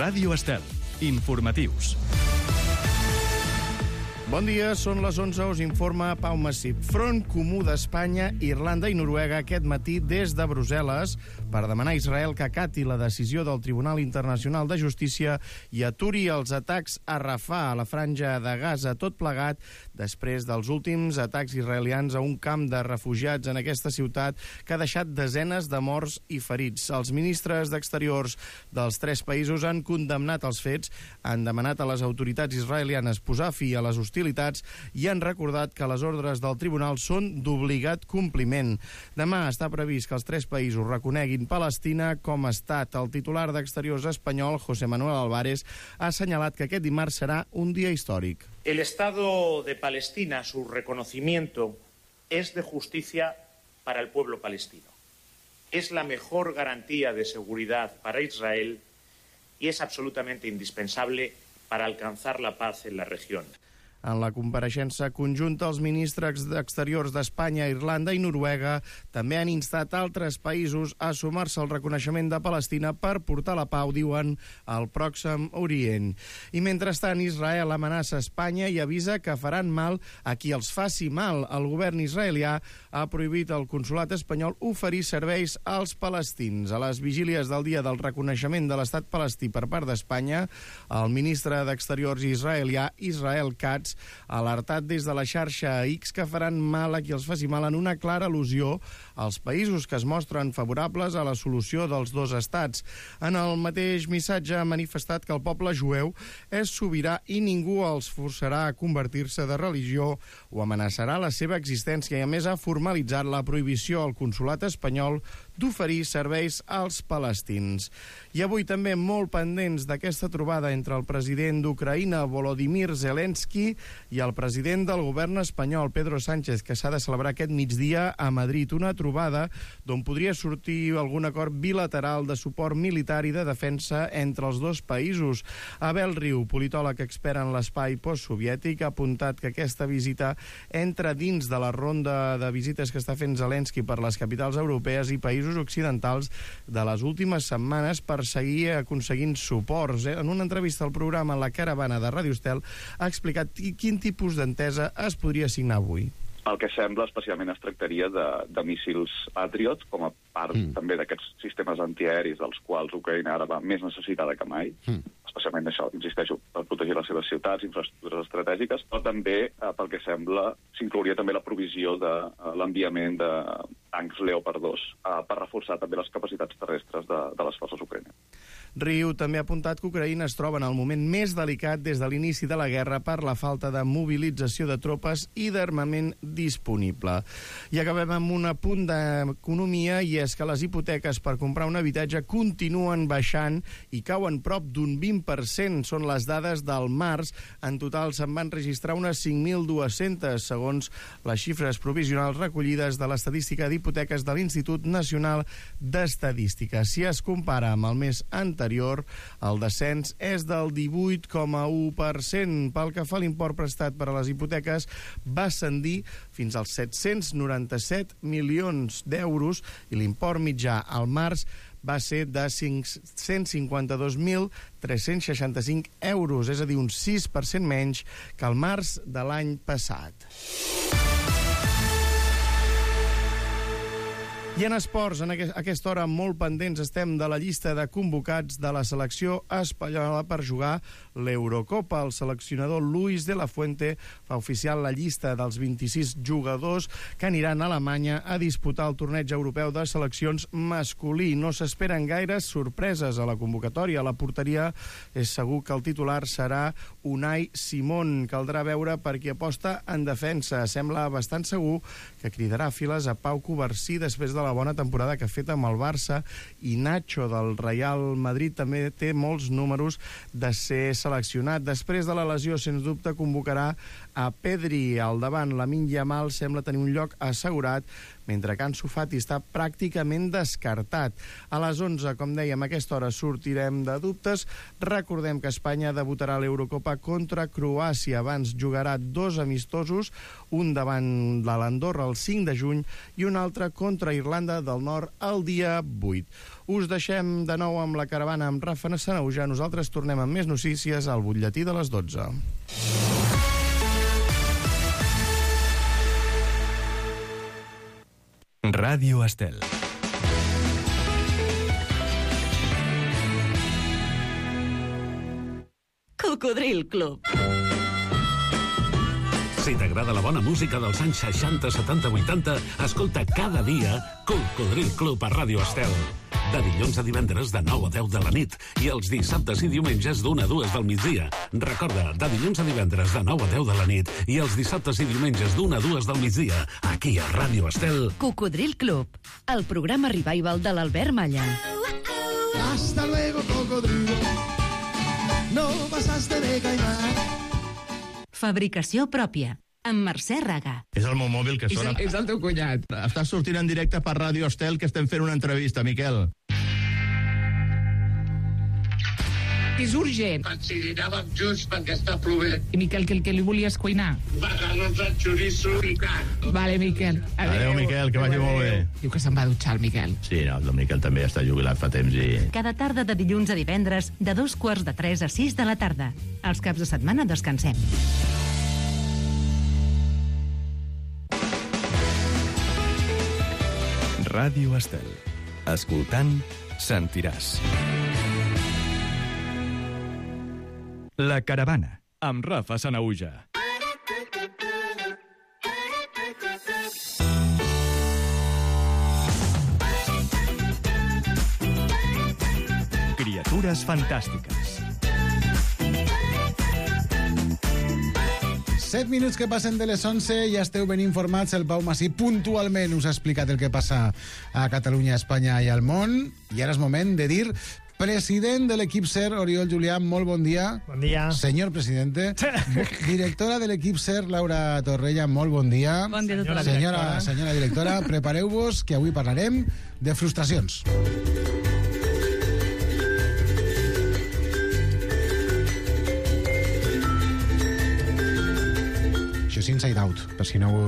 Ràdio Estel. Informatius. Bon dia, són les 11, us informa Pau Massip. Front Comú d'Espanya, Irlanda i Noruega aquest matí des de Brussel·les per demanar a Israel que acati la decisió del Tribunal Internacional de Justícia i aturi els atacs a Rafah, a la franja de Gaza, tot plegat després dels últims atacs israelians a un camp de refugiats en aquesta ciutat que ha deixat desenes de morts i ferits. Els ministres d'Exteriors dels tres països han condemnat els fets, han demanat a les autoritats israelianes posar fi a les hostilitats i han recordat que les ordres del tribunal són d'obligat compliment. Demà està previst que els tres països reconeguin Palestina com a estat. El titular d'Exteriors espanyol, José Manuel Álvarez, ha assenyalat que aquest dimarts serà un dia històric. El Estado de Palestina, su reconocimiento, es de justicia para el pueblo palestino. Es la mejor garantía de seguridad para Israel y es absolutamente indispensable para alcanzar la paz en la región. En la compareixença conjunta, els ministres d'Exteriors d'Espanya, Irlanda i Noruega també han instat altres països a sumar-se al reconeixement de Palestina per portar la pau, diuen, al Pròxim Orient. I mentrestant, Israel amenaça Espanya i avisa que faran mal a qui els faci mal. El govern israelià ha prohibit al consolat espanyol oferir serveis als palestins. A les vigílies del dia del reconeixement de l'estat palestí per part d'Espanya, el ministre d'Exteriors israelià, Israel Katz, alertat des de la xarxa X que faran mal a qui els faci mal en una clara al·lusió als països que es mostren favorables a la solució dels dos estats. En el mateix missatge ha manifestat que el poble jueu és sobirà i ningú els forçarà a convertir-se de religió o amenaçarà la seva existència i a més ha formalitzat la prohibició al consolat espanyol d'oferir serveis als palestins. I avui també molt pendents d'aquesta trobada entre el president d'Ucraïna, Volodymyr Zelensky, i el president del govern espanyol, Pedro Sánchez, que s'ha de celebrar aquest migdia a Madrid. Una trobada d'on podria sortir algun acord bilateral de suport militar i de defensa entre els dos països. Abel Riu, politòleg expert en l'espai postsoviètic, ha apuntat que aquesta visita entra dins de la ronda de visites que està fent Zelensky per les capitals europees i països occidentals de les últimes setmanes per seguir aconseguint suports. En una entrevista al programa La Caravana de Ràdio Estel ha explicat quin tipus d'entesa es podria signar avui. El que sembla especialment es tractaria de míssils Patriot, com a part també d'aquests sistemes antiaeris dels quals Ucraïna ara va més necessitada que mai, especialment això, insisteixo, per protegir les seves ciutats, infraestructures estratègiques, però també, pel que sembla, s'inclouria també la provisió de l'enviament de tancs Leopard 2 per reforçar també les capacitats terrestres de les forces ucraïneses. Riu també ha apuntat que Ucraïna es troba en el moment més delicat des de l'inici de la guerra per la falta de mobilització de tropes i d'armament disponible. I acabem amb un apunt d'economia, i és que les hipoteques per comprar un habitatge continuen baixant i cauen prop d'un 20%. Són les dades del març. En total se'n van registrar unes 5.200, segons les xifres provisionals recollides de l'estadística d'hipoteques de l'Institut Nacional d'Estadística. Si es compara amb el mes anterior, el descens és del 18,1%. Pel que fa a l'import prestat per a les hipoteques, va ascendir fins als 797 milions d'euros i l'import mitjà al març va ser de 152.365 euros, és a dir, un 6% menys que el març de l'any passat. I en esports, a aquesta hora molt pendents estem de la llista de convocats de la selecció espanyola per jugar l'Eurocopa. El seleccionador Luis de la Fuente fa oficial la llista dels 26 jugadors que aniran a Alemanya a disputar el torneig europeu de seleccions masculí. No s'esperen gaires sorpreses a la convocatòria. A la porteria és segur que el titular serà Unai Simón. Caldrà veure per qui aposta en defensa. Sembla bastant segur que cridarà files a Pau Covarsí després de la bona temporada que ha fet amb el Barça, i Nacho del Real Madrid també té molts números de ser seleccionat. Després de la lesió, sens dubte, convocarà a Pedri al davant. Lamine Yamal sembla tenir un lloc assegurat, mentre que Ansu Fati està pràcticament descartat. A les 11, com dèiem, a aquesta hora sortirem de dubtes. Recordem que Espanya debutarà a l'Eurocopa contra Croàcia. Abans jugarà 2 amistosos, un davant de l'Andorra el 5 de juny i un altre contra Irlanda del Nord el dia 8. Us deixem de nou amb la caravana amb Rafa Sanauja. Nosaltres tornem amb més notícies al butlletí de les 12. Ràdio Estel. Cocodril Club. Si t'agrada la bona música dels anys 60, 70, 80, escolta cada dia Cocodril Club a Ràdio Estel. De dilluns a divendres de 9 a 10 de la nit i els dissabtes i diumenges d'1 a 2 del migdia. Recorda, de dilluns a divendres de 9 a 10 de la nit i els dissabtes i diumenges d'1 a 2 del migdia, aquí a Ràdio Estel. Cocodril Club, el programa revival de l'Albert Malla. Hasta luego, cocodrilo. No pasaste de caimán. Fabricació pròpia, amb Mercè Raga. És el meu mòbil que sona. És el teu cunyat. Estàs sortint en directe per Ràdio Estel, que estem fent una entrevista, Miquel. És urgent. Ensinàvem junts perquè està plovent. I Miquel, què li volies cuinar? Macarrons amb xoriço picat. Vale, Miquel. Adéu, Miquel, que vagi molt bé. Diu que se'n va dutxar, el Miquel. Sí, no, el Miquel també està jubilat fa temps i... Cada tarda de dilluns a divendres, de 2:45 a 6 de la tarda. Els caps de setmana descansem. Ràdio Estel. Escoltant, sentiràs. La caravana, amb Rafa Sanauja. Criatures fantàstiques. 7 minuts que passen de les 11, ja esteu ben informats. El Pau Masí puntualment us ha explicat el que passa a Catalunya, a Espanya i al món. I ara és moment de dir president de l'equip SER, Oriol Julià, molt bon dia. Bon dia. Senyor presidente. Directora de l'equip SER, Laura Torrella, molt bon dia. Bon dia a tothom. Senyora directora, prepareu-vos, que avui parlarem de frustracions. Això és Inside Out, per si no ho...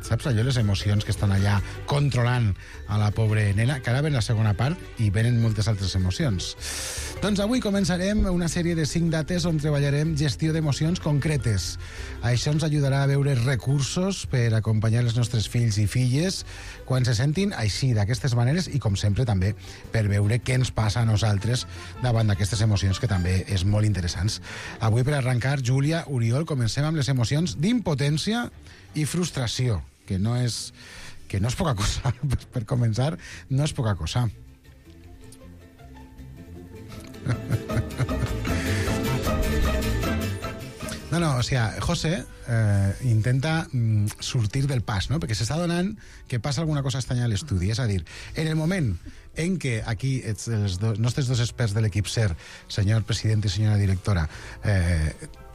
saps allò, les emocions que estan allà controlant a la pobra nena, que ara ven la segona part i venen moltes altres emocions. Doncs avui començarem una sèrie de 5 dates on treballarem gestió d'emocions concretes. Això ens ajudarà a veure recursos per acompanyar els nostres fills i filles quan se sentin així, d'aquestes maneres, i com sempre també per veure què ens passa a nosaltres davant d'aquestes emocions, que també és molt interessants. Avui, per arrencar, Júlia, Oriol, comencem amb les emocions d'impotència i frustració, que no és poca cosa. Per començar, no és poca cosa. No, o sigui, José intenta sortir del pas, no? Perquè s'està donant que passa alguna cosa estranya a l'estudi. És a dir, en el moment en què aquí els nostres dos experts de l'equip SER, senyor president i senyora directora,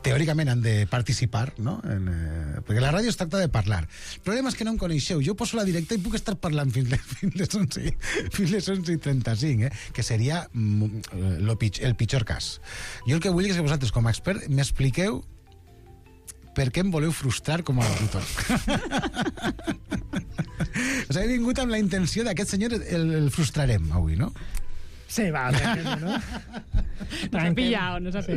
teòricament han de participar, no? Perquè la ràdio es tracta de parlar. El problema és que no em coneixeu. Jo poso la directa i puc estar parlant fins les 11:35, que seria el pitjor cas. Jo el que vull és que vosaltres, com a expert, m'expliqueu per què em voleu frustrar com a locutor. O sigui, he vingut amb la intenció d'aquest senyor el frustrarem avui, no? Sí, va, no? Nos ha pillado. Sí,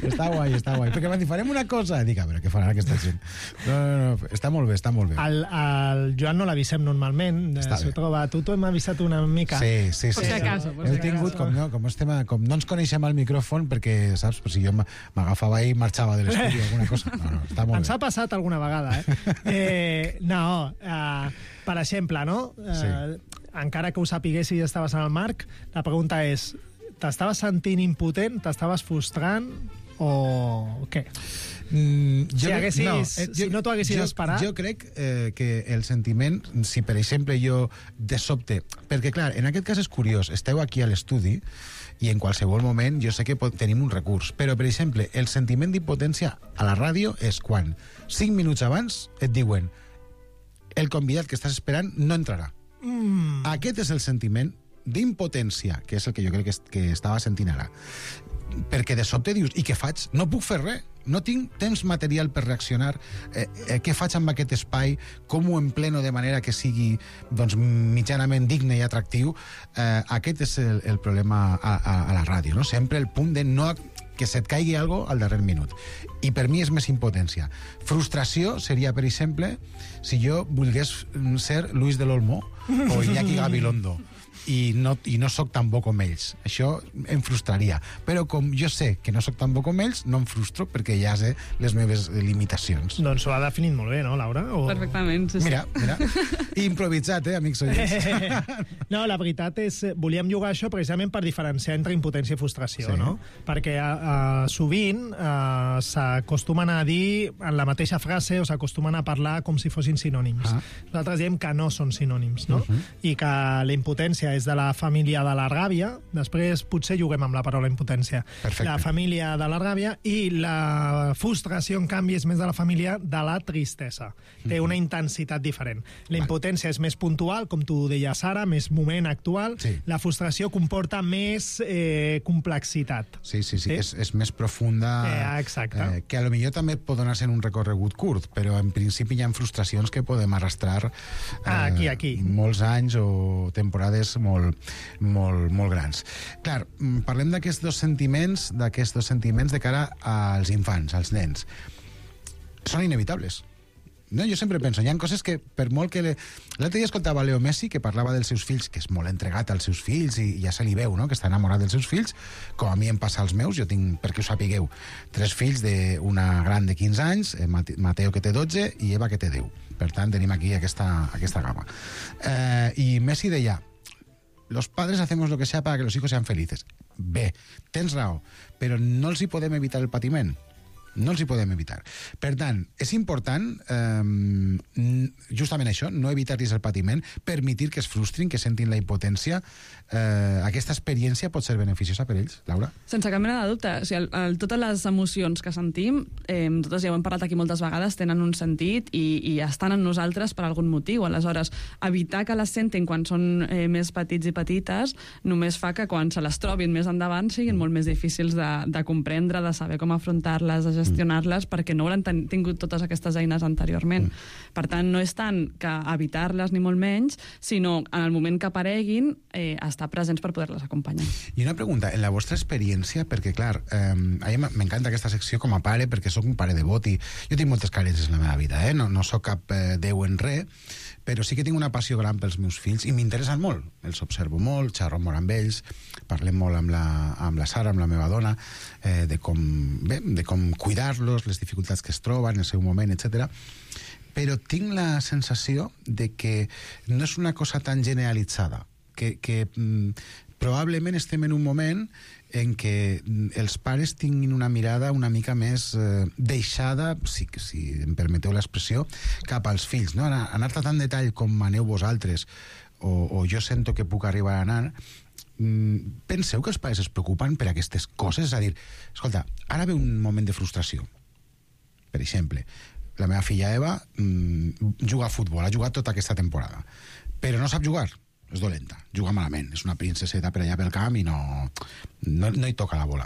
està guai. Perquè m'han dit, farem una cosa. Dic, a veure, què farà aquesta gent? No, està molt bé. El Joan no l'avisem normalment. S'ho troba. Tu hem avisat una mica. Sí. Por si acaso. Hem tingut, com no ens coneixem al micròfon, perquè, saps, per si jo m'agafava i marxava de l'estudi o alguna cosa. No, està molt bé. Ens ha passat alguna vegada, per exemple, no? Sí. Encara que ho sapiguessis i estaves en el marc, la pregunta és, t'estaves sentint impotent, t'estaves frustrant o què? Si no t'ho haguessis esperat... Jo crec que el sentiment, si per exemple jo de sobte... Perquè clar, en aquest cas és curiós, esteu aquí a l'estudi i en qualsevol moment jo sé que tenim un recurs, però per exemple el sentiment d'impotència a la ràdio és quan 5 minuts abans et diuen el convidat que estàs esperant no entrarà. Aquest és el sentiment d'impotència, que és el que jo crec que estava sentint ara. Perquè de sobte dius, i què faig? No puc fer res, no tinc temps material per reaccionar, què faig amb aquest espai, com ho empleno de manera que sigui doncs, mitjanament digne i atractiu. Aquest és el problema a la ràdio, no? Sempre el punt de no que se't caigui algo al darrer minut. I per mi és més impotència. Frustració seria, per exemple, si jo volgués ser Luis de l'Olmo o Iñaki Gabilondo i no soc tan bo com ells. Això em frustraria. Però com jo sé que no soc tan bo com ells, no em frustro perquè ja sé les meves limitacions. Doncs ho ha definit molt bé, no, Laura? Perfectament, sí. Mira. Improvisat, amics oients. No, la veritat és... Volíem jugar això precisament per diferenciar entre impotència i frustració, no? Perquè sovint s'acostumen a dir en la mateixa frase o s'acostumen a parlar com si fossin sinònims. Nosaltres diem que no són sinònims, no? I que la impotència és de la família de la ràbia, després potser juguem amb la paraula impotència. Perfecte. La família de la ràbia, i la frustració, en canvi, és més de la família de la tristesa. Té una intensitat diferent. La impotència és més puntual, com tu deies ara, més moment actual. Sí. La frustració comporta més complexitat. Sí. És més profunda. Exacte. Que a lo millor també pot donar-se en un recorregut curt, però en principi hi ha frustracions que podem arrastrar aquí. Molts anys o temporades molt grans. Clar, parlem d'aquests dos sentiments de cara als infants, als nens. Són inevitables. No, jo sempre penso, hi ha coses que, per molt que... L'altre dia escoltava Leo Messi, que parlava dels seus fills, que és molt entregat als seus fills, i ja se li veu, no?, que està enamorat dels seus fills, com a mi em passa als meus. Jo tinc, perquè ho sapigueu, 3 fills, una gran de 15 anys, Mateo, que té 12, i Eva, que té 10. Per tant, tenim aquí aquesta gama. I Messi deia: los padres hacemos lo que sea para que los hijos sean felices. Bé, tens raó, però no els hi podem evitar el patiment. No els hi podem evitar. Per tant, és important justament això, no evitar-los el patiment, permetir que es frustrin, que sentin la impotència. Aquesta experiència pot ser beneficiosa per ells, Laura? Sense cap mena de dubte. O sigui, totes les emocions que sentim, totes ja ho hem parlat aquí moltes vegades, tenen un sentit i estan en nosaltres per algun motiu. Aleshores, evitar que les sentin quan són més petits i petites només fa que quan se les trobin més endavant siguin molt més difícils de comprendre, de saber com afrontar-les, de gestionar-les, perquè no hauran tingut totes aquestes eines anteriorment. Per tant, no és tant que evitar-les ni molt menys, sinó en el moment que apareguin estar presents per poder-les acompanyar. I una pregunta, en la vostra experiència, perquè clar, a mi m'encanta aquesta secció com a pare, perquè sóc un pare devot i jo tinc moltes carències en la meva vida, no sóc cap déu en res, però sí que tinc una passió gran pels meus fills i m'interessen molt, els observo molt, xerro molt amb ells, parlem molt amb la Sara, amb la meva dona, de com cuidar-los, les dificultats que es troben en el seu moment, etc. Però tinc la sensació de que no és una cosa tan generalitzada, que probablement estem en un moment en què els pares tinguin una mirada una mica més deixada, si em permeteu l'expressió, cap als fills, no? Anar-te tan detall com aneu vosaltres, o jo sento que puc arribar a anar. Penseu que els pares es preocupen per aquestes coses? És a dir, escolta, ara ve un moment de frustració. Per exemple, la meva filla Eva juga a futbol, ha jugat tota aquesta temporada, però no sap jugar. És dolenta, juga malament, és una princeseta per allà pel camp i no hi toca la bola.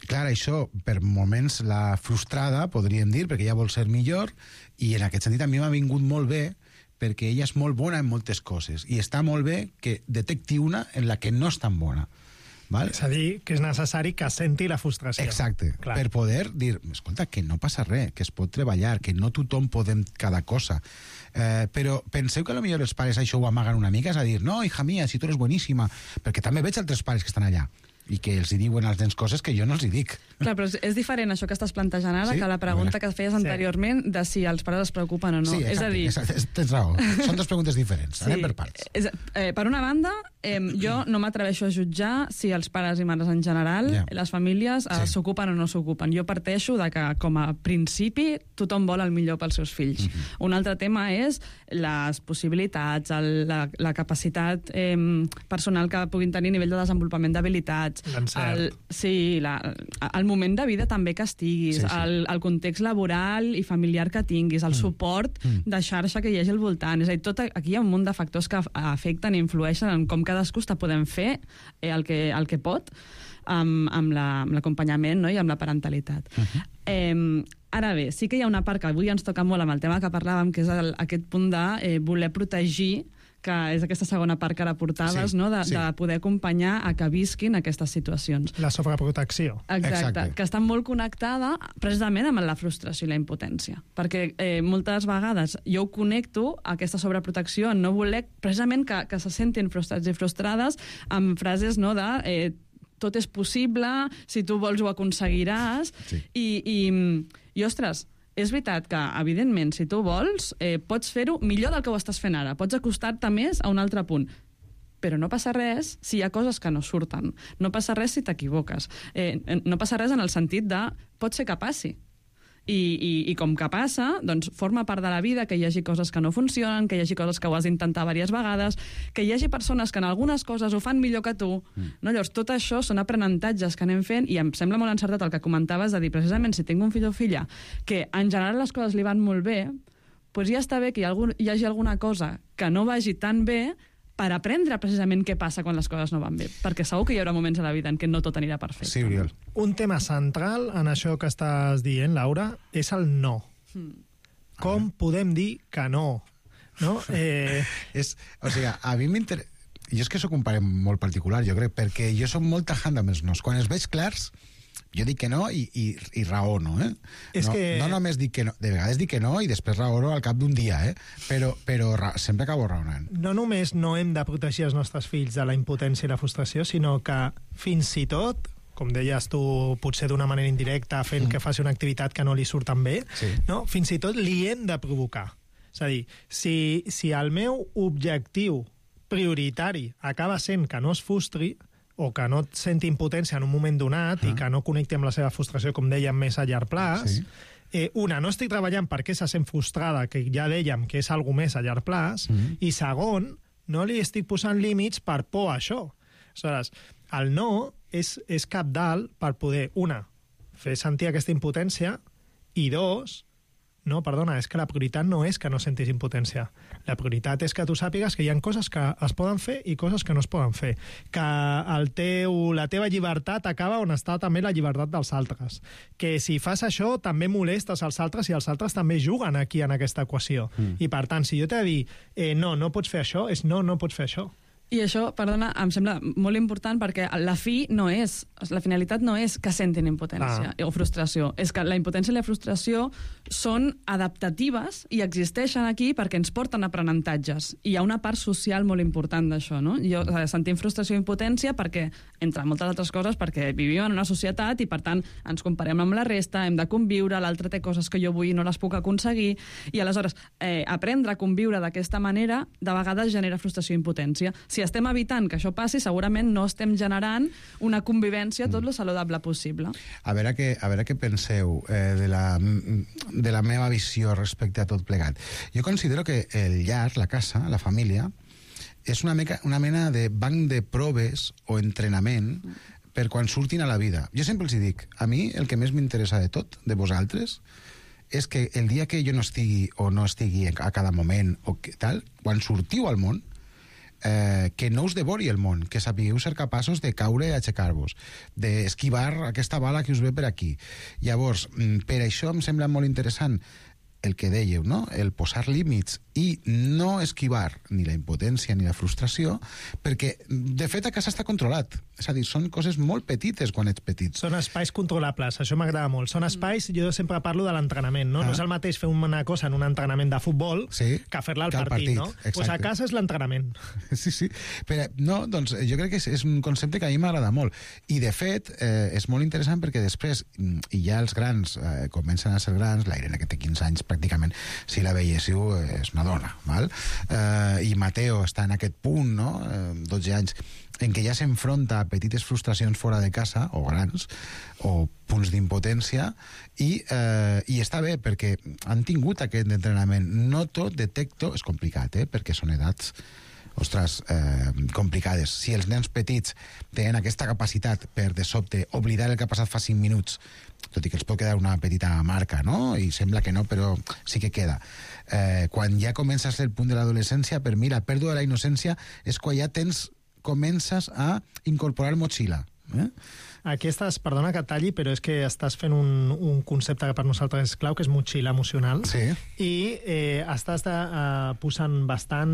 Clar, això, per moments la frustrada, podríem dir, perquè ella vol ser millor, i en aquest sentit a mi m'ha vingut molt bé, perquè ella és molt bona en moltes coses, i està molt bé que detecti una en la que no és tan bona. Val? És a dir, que és necessari que senti la frustració. Exacte, clar. Per poder dir, escolta, que no passa res, que es pot treballar, que no tothom podem cada cosa. Però penseu que potser els pares això ho amaguen una mica, és a dir, no, hija mía, si tu eres bueníssima, perquè també veig altres pares que estan allà i que els hi diuen als nens coses que jo no els hi dic. Clar, però és diferent això que estàs plantejant ara, que la pregunta que feies anteriorment de si els pares es preocupen o no. Sí, exacte, és a dir... tens raó. Són dues preguntes diferents. Anem per parts. Per una banda, jo no m'atreveixo a jutjar si els pares i mares en general, les famílies, s'ocupen o no s'ocupen. Jo parteixo de que, com a principi, tothom vol el millor pels seus fills. Un altre tema és les possibilitats, la capacitat personal que puguin tenir a nivell de desenvolupament d'habilitats, el moment de vida també que estiguis, el context laboral i familiar que tinguis, el suport de xarxa que hi hagi al voltant. És a dir, aquí hi ha un munt de factors que afecten i influeixen en com cadascú està podent fer el que pot amb l'acompanyament, no? I amb la parentalitat. Ara bé, sí que hi ha una part que avui ens toca molt amb el tema que parlàvem, que és aquest punt de voler protegir, que és aquesta segona part que ara portaves, no? De poder acompanyar a que visquin aquestes situacions. La sobreprotecció. Exacte, que està molt connectada precisament amb la frustració i la impotència. Perquè moltes vegades jo ho connecto a aquesta sobreprotecció en no voler precisament que se sentin frustrats i frustrades amb frases, no, de tot és possible, si tu vols ho aconseguiràs, i ostres, és veritat que, evidentment, si tu vols, pots fer-ho millor del que ho estàs fent ara. Pots acostar-te més a un altre punt. Però no passa res si hi ha coses que no surten. No passa res si t'equivoques. No passa res en el sentit de pot ser que passi. I com que passa, doncs forma part de la vida que hi hagi coses que no funcionen, que hi hagi coses que ho has d'intentar diverses vegades, que hi hagi persones que en algunes coses ho fan millor que tu. No? Llavors, tot això són aprenentatges que anem fent i em sembla molt encertat el que comentaves de dir, precisament, si tinc un fill o filla que en general les coses li van molt bé, doncs ja està bé que hi hagi alguna cosa que no vagi tan bé per aprendre precisament què passa quan les coses no van bé. Perquè segur que hi haurà moments a la vida en què no tot anirà perfecte. Sí, Oriol. Un tema central en això que estàs dient, Laura, és el no. Com podem dir que no? No? O sigui, a mi m'interessa... Jo és que soc un pare molt particular, jo crec, perquè jo soc molt tajant amb els nos. Quan els veig clars, jo dic que no i raono, no només dic que no, de vegades dic que no i després raono al cap d'un dia, però sempre acabo raonant. No només no hem de protegir els nostres fills de la impotència i la frustració, sinó que fins i tot, com deies tu, potser d'una manera indirecta, fent que faci una activitat que no li surt tan bé, no? Fins i tot li hem de provocar. És a dir, si el meu objectiu prioritari acaba sent que no es frustri, o que no senti impotència en un moment donat i que no connecti amb la seva frustració, com dèiem, més a llarg plaç, no estic treballant perquè se sent frustrada, que ja dèiem que és alguna més a llarg plaç, i segon, no li estic posant límits per por a això. Aleshores, el no és cabdal per poder, fer sentir aquesta impotència, i dos, és que la prioritat no és que no sentis impotència. La prioritat és que tu sàpigues que hi ha coses que es poden fer i coses que no es poden fer. Que la teva llibertat acaba on està també la llibertat dels altres. Que si fas això també molestes els altres i els altres també juguen aquí en aquesta equació. I per tant, si jo t'he de dir no pots fer això, és no pots fer això. I això, perdona, em sembla molt important perquè la finalitat no és que sentin impotència o frustració. És que la impotència i la frustració són adaptatives i existeixen aquí perquè ens porten aprenentatges. I hi ha una part social molt important d'això, no? Sentim frustració i impotència perquè, entre moltes altres coses, perquè vivim en una societat i, per tant, ens comparem amb la resta, hem de conviure, l'altre té coses que jo vull i no les puc aconseguir, i aleshores aprendre a conviure d'aquesta manera de vegades genera frustració i impotència. Si estem evitant que això passi, segurament no estem generant una convivència tot lo saludable possible. A veure què penseu de la meva visió respecte a tot plegat. Jo considero que el llar, la casa, la família, és una mena de banc de proves o entrenament per quan surtin a la vida. Jo sempre els dic, a mi el que més m'interessa de tot, de vosaltres, és que el dia que jo no estigui o no estigui a cada moment o tal, quan sortiu al món, que no us devori el món, que sapigueu ser capaços de caure i aixecar-vos, d'esquivar aquesta bala que us ve per aquí. Llavors, per això em sembla molt interessant el que dèieu, no? El posar límits i no esquivar ni la impotència ni la frustració, perquè, de fet, a casa està controlat. És a dir, són coses molt petites quan ets petit. Són espais controlables, això m'agrada molt. Són espais, jo sempre parlo de l'entrenament, no? No és el mateix fer una cosa en un entrenament de futbol que fer-la al partit, no? Doncs a casa és l'entrenament. Sí. Però, no, doncs jo crec que és un concepte que a mi m'agrada molt. I, de fet, és molt interessant perquè després, i ja els grans comencen a ser grans, la Irene, que té 15 anys pràcticament, si la veiéssiu, és una dona, val? I Mateo està en aquest punt, no? 12 anys, en què ja s'enfronta a petites frustracions fora de casa, o grans, o punts d'impotència, i està bé, perquè han tingut aquest entrenament. No tot detecto, és complicat, perquè són edats ostres, complicades. Si els nens petits tenen aquesta capacitat per, de sobte, oblidar el que ha passat fa 5 minuts, tot i que els pot quedar una petita marca, no? I sembla que no, però sí que queda. Quan ja comença a ser el punt de l'adolescència, per mi la pèrdua de la innocència és quan ja comences a incorporar motxilla. Aquí estàs, perdona que et talli, però és que estàs fent un concepte que per nosaltres és clau, que és motxilla emocional. Sí. I estàs posant bastant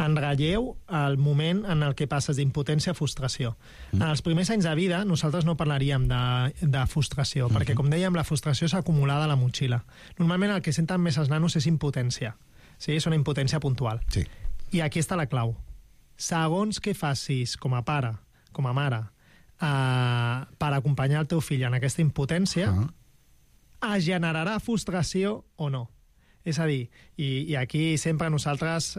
en relleu el moment en el que passes d'impotència a frustració. En els primers anys de vida nosaltres no parlaríem de frustració, perquè, com dèiem, la frustració és acumulada a la motxilla. Normalment el que senten més els nanos és impotència. Sí? És una impotència puntual. Sí. I aquí està la clau. Segons què facis com a pare, com a mare, per acompanyar el teu fill en aquesta impotència, es generarà frustració o no. És a dir, i aquí sempre nosaltres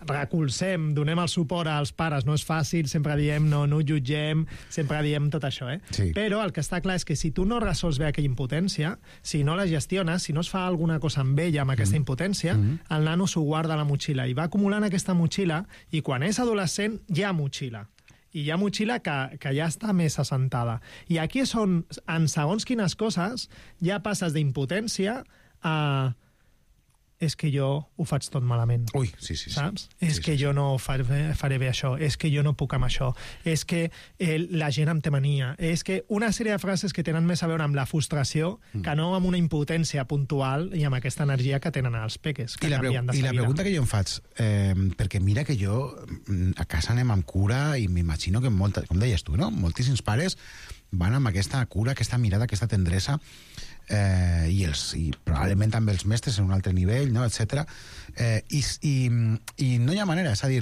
recolzem, donem el suport als pares, no és fàcil, sempre diem no ho jutgem, sempre diem tot això, Sí. Però el que està clar és que si tu no resols bé aquella impotència, si no la gestiones, si no es fa alguna cosa amb ella, amb aquesta impotència, el nano s'ho guarda a la motxilla i va acumulant aquesta motxilla, i quan és adolescent hi ha motxilla. I hi ha motxilla que ja està més assentada. I aquí és on, en segons quines coses, ja passes d'impotència a... és que jo ho faig tot malament. Ui, sí. Saps? És que jo no faré bé això, és que jo no puc amb això, és que la gent em té mania, és que una sèrie de frases que tenen més a veure amb la frustració que no amb una impotència puntual i amb aquesta energia que tenen els peques, que canvien de seguida. I la pregunta que jo em faig, perquè mira que jo a casa anem amb cura i m'imagino que com deies tu, no? Moltíssims pares van amb aquesta cura, aquesta mirada, aquesta tendresa, i probablement també els mestres en un altre nivell, no? etc. I no hi ha manera, és a dir,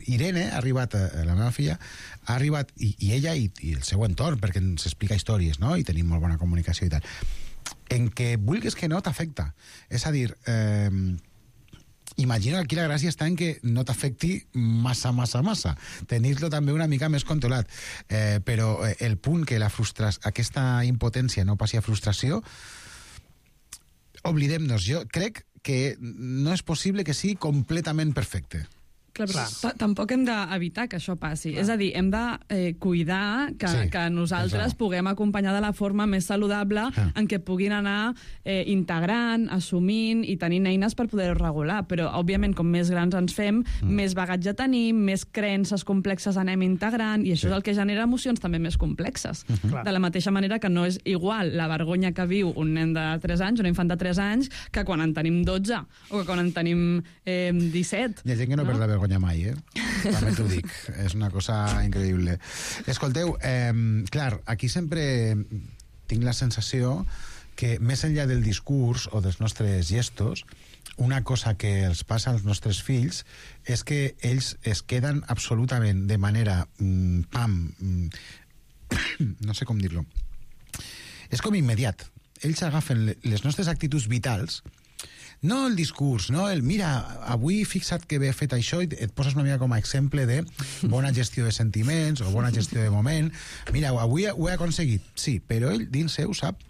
Irene ha arribat, la meva filla ha arribat, i ella i el seu entorn, perquè ens explica històries, no? I tenim molt bona comunicació i tal, en què vulguis que no t'afecta, és a dir, imagino que aquí la gràcia està en que no t'afecti massa. Tenir-lo també una mica més controlat. Però el punt que aquesta impotència no passi a frustració, oblidem-nos. Jo crec que no és possible que sigui completament perfecte. Clar, però tampoc hem d'evitar que això passi. Clar. És a dir, hem de cuidar que nosaltres puguem acompanyar de la forma més saludable en què puguin anar integrant, assumint i tenint eines per poder-ho regular. Però, òbviament, com més grans ens fem, més bagatge tenim, més creences complexes anem integrant, i això és el que genera emocions també més complexes. De la mateixa manera que no és igual la vergonya que viu un nen de 3 anys, un infant de 3 anys, que quan en tenim 12 o que quan en tenim 17. Hi ha gent que no perd la vergonya mai, també t'ho dic, és una cosa increïble. Escolteu, clar, aquí sempre tinc la sensació que més enllà del discurs o dels nostres gestos, una cosa que els passa als nostres fills és que ells es queden absolutament de manera no sé com dir-lo, és com immediat. Ells agafen les nostres actituds vitals, no el discurs, no el mira, avui fixa't que he fet això, i et poses una mica com a exemple de bona gestió de sentiments o bona gestió de moment. Mira, avui ho he aconseguit. Sí, però ell dins seu sap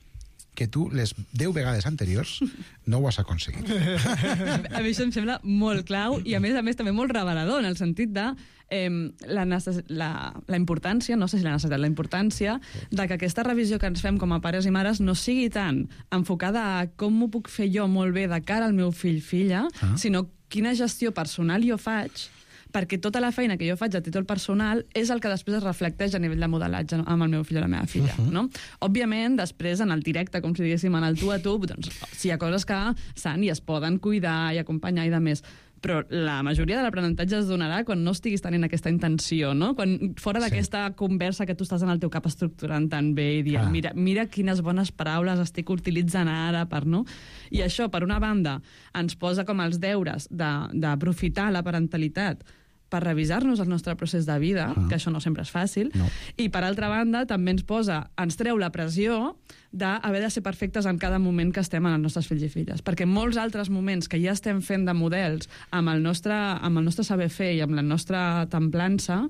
que tu les 10 vegades anteriors no ho has aconseguit. A mi això em sembla molt clau i a més també molt revelador, en el sentit de la importància, no sé si la necessitat, la importància de que aquesta revisió que ens fem com a pares i mares no sigui tan enfocada a com m'ho puc fer jo molt bé de cara al meu fill-filla, sinó quina gestió personal jo faig, perquè tota la feina que jo faig a títol personal és el que després es reflecteix a nivell de modelatge amb el meu fill o la meva filla. No? Òbviament, després, en el directe, com si diguéssim, en el tu a tu, doncs, si hi ha coses que s'han i es poden cuidar i acompanyar i de més, però la majoria de l'aprenentatge es donarà quan no estiguis tenint aquesta intenció, no? Quan fora d'aquesta conversa que tu estàs en el teu cap estructurant tan bé i dient, mira quines bones paraules estic utilitzant ara per, no? I això, per una banda, ens posa com els deures d'aprofitar la parentalitat per revisar-nos el nostre procés de vida, que això no sempre és fàcil, i per altra banda també ens treu la pressió d'haver de ser perfectes en cada moment que estem amb els nostres fills i filles, perquè molts altres moments que ja estem fent de models amb el nostre saber fer i amb la nostra templança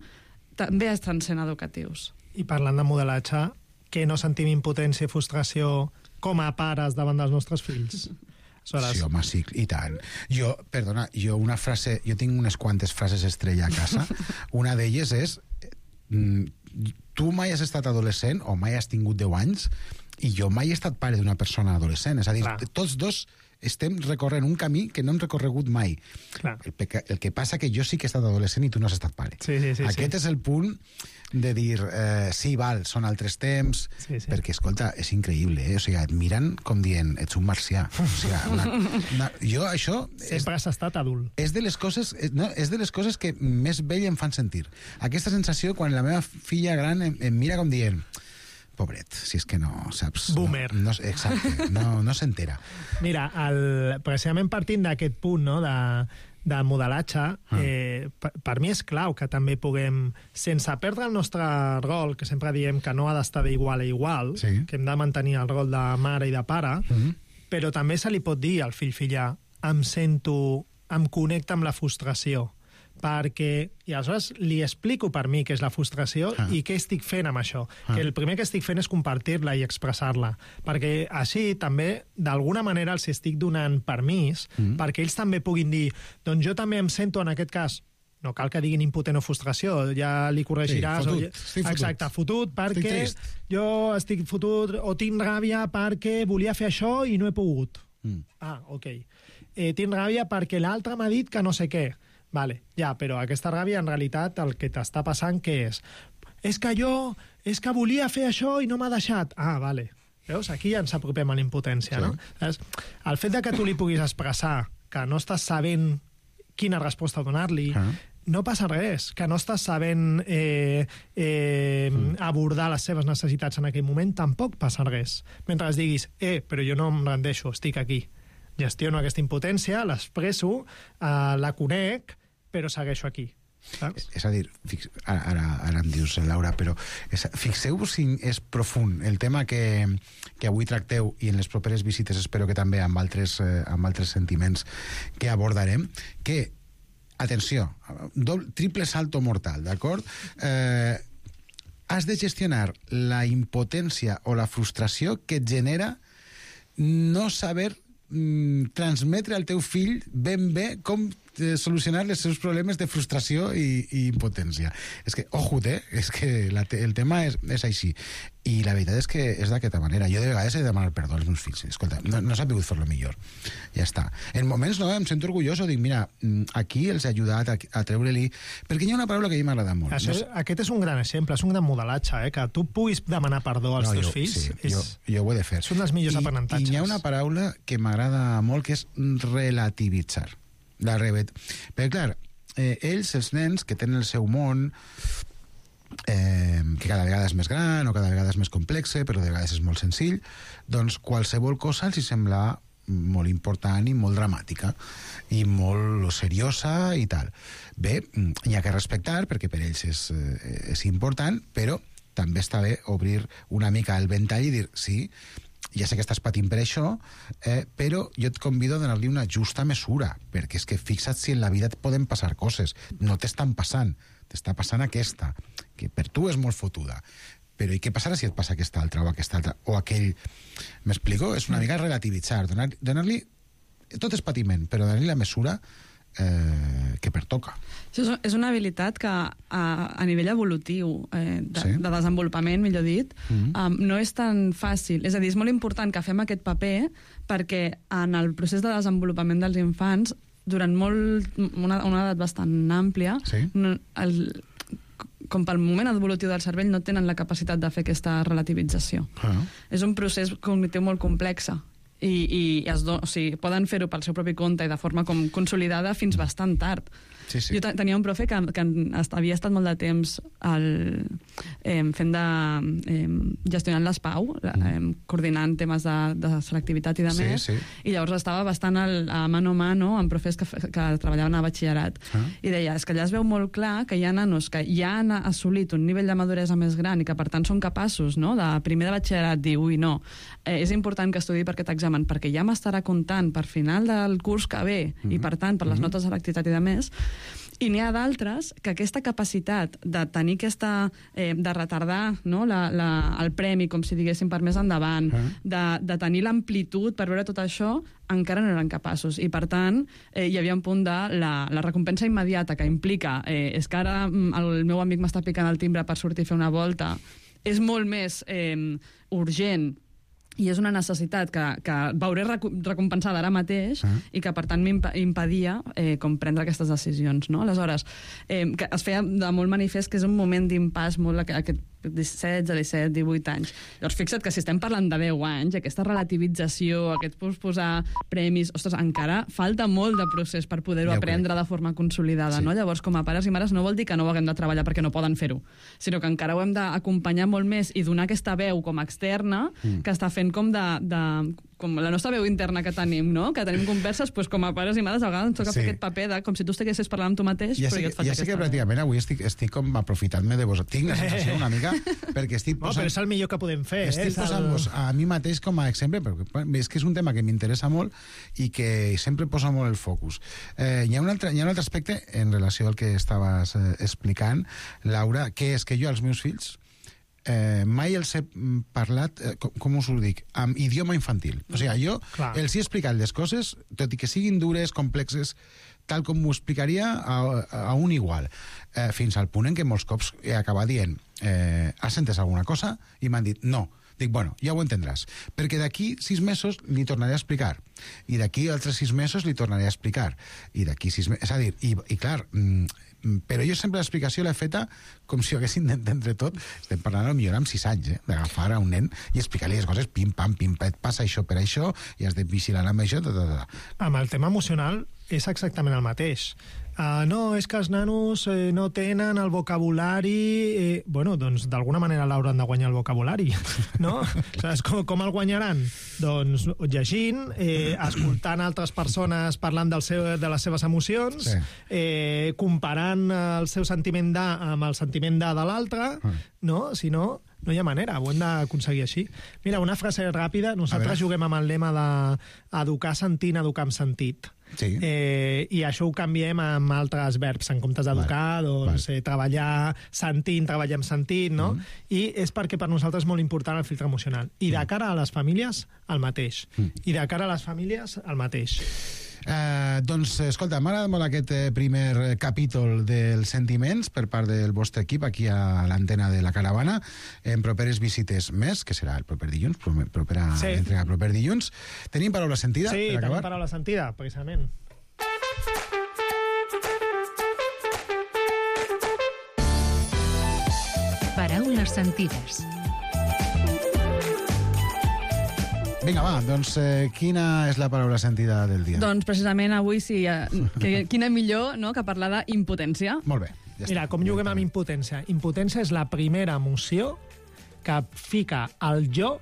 també estan sent educatius. I parlant de modelatge, que no sentim impotència i frustració com a pares davant dels nostres fills? Sí, home, sí, i tant. Jo tinc unes quantes frases estrella a casa. Una d'elles és tu mai has estat adolescent o mai has tingut 10 anys i jo mai he estat pare d'una persona adolescent. És a dir, tots dos estem recorrent un camí que no hem recorregut mai. El que passa que jo sí que he estat adolescent i tu no has estat pare. Aquest és el punt de dir, sí, val, són altres temps, perquè, escolta, és increïble, O sigui, et miren com dient, ets un marcià. O sigui, jo això... Sempre has estat adult. És de les coses que més vell em fan sentir. Aquesta sensació quan la meva filla gran em mira com dient... Pobret, si és que no, saps? Boomer. Exacte, no s'entera. Mira, precisament partint d'aquest punt, no?, de modelatge, per mi és clau que també puguem, sense perdre el nostre rol, que sempre diem que no ha d'estar d'igual a igual, que hem de mantenir el rol de mare i de pare, però també se li pot dir al fill-filla, em connecta amb la frustració, perquè, i aleshores li explico per mi què és la frustració i què estic fent amb això. Que el primer que estic fent és compartir-la i expressar-la, perquè així també, d'alguna manera, els estic donant permís perquè ells també puguin dir, doncs jo també em sento en aquest cas, no cal que diguin impotent o frustració, ja li corregiràs. Exacte, fotut perquè jo estic fotut o tinc ràbia perquè volia fer això i no he pogut. Ok. Tinc ràbia perquè l'altre m'ha dit que no sé què. Vale, ja, però aquesta ràbia en realitat el que t'està passant què és? És que volia fer això i no m'ha deixat. Vale. Veus? Aquí ja ens apropem a la impotència, no? El fet de que tu li puguis expressar que no estàs sabent quina resposta donar-li, no passa res, que no estàs sabent abordar les seves necessitats en aquell moment, tampoc passa res. Mentre diguis, però jo no em rendeixo, estic aquí. Gestiono aquesta impotència, l'expresso, la conec, però segueixo aquí. Saps? És a dir, ara em dius, Laura, però fixeu-vos si és profund el tema que avui tracteu i en les properes visites espero que també amb altres sentiments que abordarem, que, atenció, triple salto mortal, d'acord? Has de gestionar la impotència o la frustració que et genera no saber transmetre al teu fill ben bé com solucionar els seus problemes de frustració i impotència. És que, és que el tema és així. I la veritat és que és d'aquesta manera. Jo de vegades he de demanar perdó als meus fills. Escolta, no s'ha pogut fer-lo millor. Ja està. En moments em sento orgulloso, dic, mira, aquí els he ajudat a treure-li... Perquè hi ha una paraula que a mi m'agrada molt. Aquest és un gran exemple, és un gran modelatge, que tu puguis demanar perdó als teus fills. Sí, jo ho he de fer. És un dels millors aprenentatges. I hi ha una paraula que m'agrada molt, que és relativitzar. Perquè, clar, ells, els nens, que tenen el seu món, que cada vegada és més gran o cada vegada és més complex, però de vegades és molt senzill, doncs qualsevol cosa els sembla molt important i molt dramàtica i molt seriosa i tal. Bé, hi ha que respectar, perquè per ells és important, però també està bé obrir una mica el ventall i dir, sí, ja sé que estàs patint per això, però jo et convido a donar-li una justa mesura, perquè és que fixa't si en la vida et poden passar coses. No t'estan passant, t'està passant aquesta, que per tu és molt fotuda. Però i què passarà si et passa aquesta altra o aquesta altra? O aquell... M'explico? És una mica relativitzar, donar-li... Tot és patiment, però donar-li la mesura que pertoca. Això és una habilitat que a nivell evolutiu, de desenvolupament, millor dit, no és tan fàcil. És a dir, és molt important que fem aquest paper perquè en el procés de desenvolupament dels infants, durant una edat bastant àmplia, com pel moment evolutiu del cervell, no tenen la capacitat de fer aquesta relativització. És un procés cognitiu molt complex. I poden fer-ho pel seu propi compte i de forma com consolidada fins bastant tard. Jo tenia un profe que havia estat molt de temps gestionant les PAU, coordinant temes de selectivitat i de més, i llavors estava bastant a mano a mano amb profes que treballaven a batxillerat. I deia, és que allà es veu molt clar que hi ha nanos que ja han assolit un nivell de maduresa més gran i que per tant són capaços, no?, de primer de batxillerat dir, ui, no, és important que estudi per aquest examen perquè ja m'estarà comptant per final del curs que ve i per tant per les notes de selectivitat i de més. I n'hi ha d'altres que aquesta capacitat de tenir de retardar, no, el premi, com si diguéssim, per més endavant, de tenir l'amplitud per veure tot això, encara no eren capaços. I, per tant, hi havia un punt de la recompensa immediata que implica és que ara el meu amic m'està picant el timbre per sortir a fer una volta, és molt més urgent i és una necessitat que veuré recompensada ara mateix i que, per tant, m'impedia com prendre aquestes decisions. No? Aleshores, que es feia de molt manifest que és un moment d'impàs molt aquest 16, 17, 18 anys. Llavors, fixa't que si estem parlant de 10 anys, aquesta relativització, aquest posposar premis, ostres, encara falta molt de procés per poder-ho aprendre de forma consolidada. No? Llavors, com a pares i mares, no vol dir que no ho haguem de treballar perquè no poden fer-ho, sinó que encara ho hem d'acompanyar molt més i donar aquesta veu com a externa que està fent com com la nostra veu interna que tenim, no? Que tenim converses, doncs, com a pares i mares, a vegades ens toca fer aquest paper de com si tu estiguessis parlant amb tu mateix, però jo et faig aquesta... Ja sé que pràcticament avui estic com aprofitant-me de vos. Tinc la sensació una mica, perquè estic posant... No, però és el millor que podem fer. Estic posant-vos a mi mateix com a exemple, perquè és que és un tema que m'interessa molt i que sempre posa molt el focus. Hi ha un altre aspecte en relació al que estaves explicant, Laura, que és que jo als meus fills mai els he parlat, com us ho dic, amb idioma infantil. O sigui, jo els he explicat les coses, tot i que siguin dures, complexes, tal com m'ho explicaria a un igual. Fins al punt en què molts cops he acabat dient has entès alguna cosa? I m'han dit no. Dic, bueno, ja ho entendràs. Perquè d'aquí 6 mesos li tornaré a explicar. I d'aquí altres 6 mesos li tornaré a explicar. I d'aquí 6 mesos... És a dir, i clar... però jo sempre l'explicació l'he feta com si ho haguessin d'entendre tot. Estem parlant potser amb 6 anys, d'agafar a un nen i explicar-li les coses pim, pam, passa això per això, i has de vigilar amb això, Amb el tema emocional és exactament el mateix. No, és que els nanos no tenen el vocabulari... Bueno, doncs d'alguna manera l'hauran de guanyar el vocabulari, no? Saps com el guanyaran? Doncs llegint, escoltant altres persones parlant de les seves emocions, comparant el seu sentiment d'A amb el sentiment d'A de l'altre, no? Si no, no hi ha manera, ho hem d'aconseguir així. Mira, una frase ràpida, nosaltres juguem amb el lema d'educar sentint, educar amb sentit. Sí. I això ho canviem amb altres verbs. En comptes d'educar, doncs treballar sentint, treballar amb sentit, no? I és perquè per nosaltres és molt important el filtre emocional. I de cara a les famílies, el mateix. I de cara a les famílies, el mateix. Doncs, escolta, m'agrada molt aquest primer capítol dels sentiments per part del vostre equip aquí a l'antena de la Caravana. En properes visites més, que serà el proper dilluns, entrega proper dilluns. Tenim paraula sentida per acabar? Sí, tenim paraula sentida, precisament. Paraules sentides. Vinga, va, doncs quina és la paraula sentida del dia? Doncs precisament avui sí, quina millor que parlar d'impotència. Molt bé. Mira, com juguem amb impotència? Impotència és la primera emoció que fica el jo,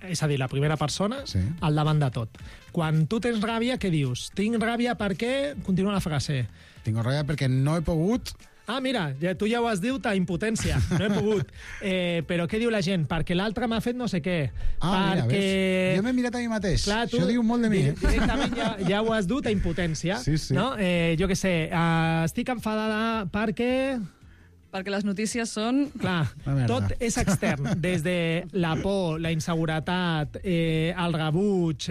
és a dir, la primera persona, al davant de tot. Quan tu tens ràbia, què dius? Tinc ràbia perquè... Continua la frase. Tinc ràbia perquè no he pogut... Ah, mira, tu ja ho has dit, impotència. No he pogut. Però què diu la gent? Perquè l'altre m'ha fet no sé què. Mira, ves. Jo m'he mirat a mi mateix. Clar, això diu molt de mi. Directament ja ho has dut, a impotència. Sí. No? Jo què sé, estic enfadada perquè... Perquè les notícies són... Clar, tot és extern. Des de la por, la inseguretat, el rebuig,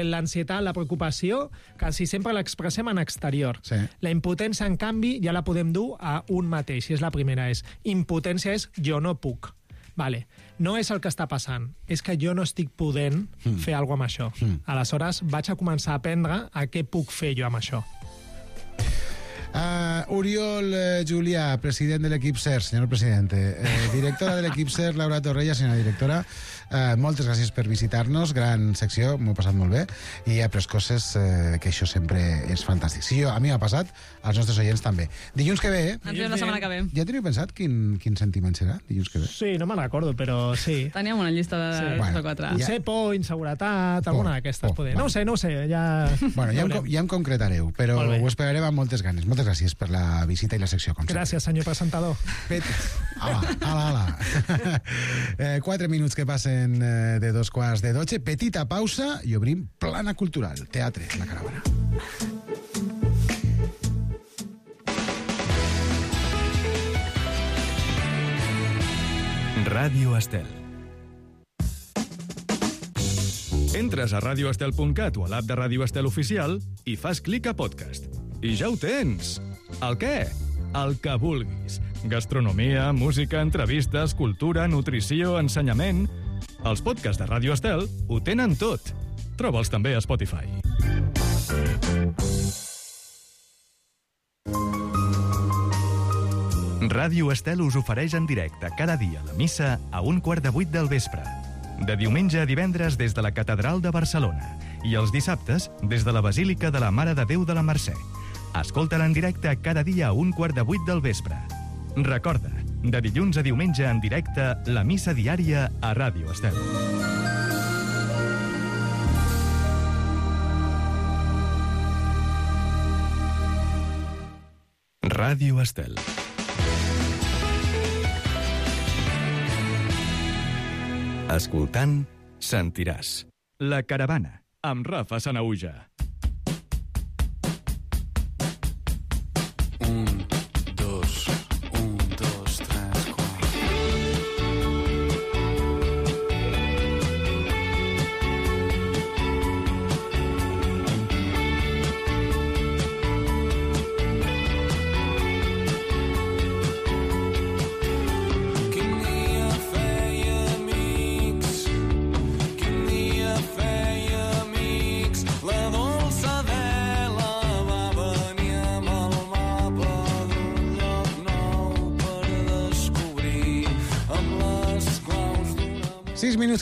l'ansietat, la preocupació, quasi sempre l'expressem en exterior. Sí. La impotència, en canvi, ja la podem dur a un mateix, i és la primera. Impotència és jo no puc. Vale. No és el que està passant, és que jo no estic podent fer alguna cosa amb això. Aleshores, vaig a començar a aprendre a què puc fer jo amb això. Oriol Julià, president de l'equip SER, senyor presidente. Directora de l'equip SER, Laura Torrella, senyora directora. Moltes gràcies per visitar-nos, gran secció, m'ho he passat molt bé, i he après coses que això sempre és fantàstic. Sí, a mi m'ha passat, als nostres oients també. Dilluns que ve, Ens veiem la setmana que ve. Ja teniu pensat quin sentiment serà dilluns que ve? Sí, no me'n recordo, però sí. Teníem una llista de 3 o 4. Potser por, inseguretat, alguna d'aquestes. No ho sé, ja... Bueno, ja em concretareu, però ho esperarem amb moltes ganes. Moltes gràcies per la visita i la secció, com sempre. Gràcies, senyor presentador. Ala. 4 minuts que passen de 2:45. Petita pausa i obrim Plana Cultural, teatre, la Caravana. Ràdio Estel. Entres a radioestel.cat o a l'app de Ràdio Estel Oficial i fas clic a podcast. I ja ho tens! El què? El que vulguis. Gastronomia, música, entrevistes, cultura, nutrició, ensenyament... Els podcasts de Ràdio Estel ho tenen tot. Troba'ls també a Spotify. Ràdio Estel us ofereix en directe cada dia la missa a 7:15 del vespre. De diumenge a divendres des de la Catedral de Barcelona i els dissabtes des de la Basílica de la Mare de Déu de la Mercè. Escolta-la en directe cada dia a 7:15 del vespre. Recorda, de dilluns a diumenge en directe, la missa diària a Ràdio Estel. Ràdio Estel. Escoltant, sentiràs. La Caravana, amb Rafa Sanahuja.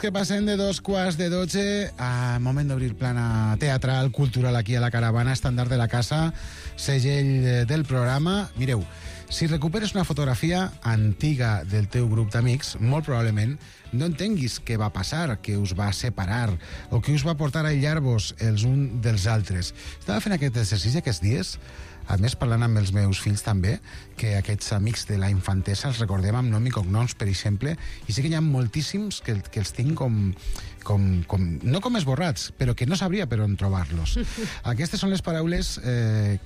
Que passen de 11:15 a moment d'obrir plana teatral, cultural aquí a la Caravana, estàndard de la casa, segell del programa. Mireu, si recuperes una fotografia antiga del teu grup d'amics, molt probablement no entenguis què va passar, què us va separar o què us va portar a aïllar-vos els uns dels altres. Estava fent aquest exercici aquests dies, a més parlant amb els meus fills també, que aquests amics de la infantesa els recordem amb nom i cognoms, per exemple, i sí que hi ha moltíssims que els tinc no com esborrats, però que no sabria per on trobar-los. Aquestes són les paraules,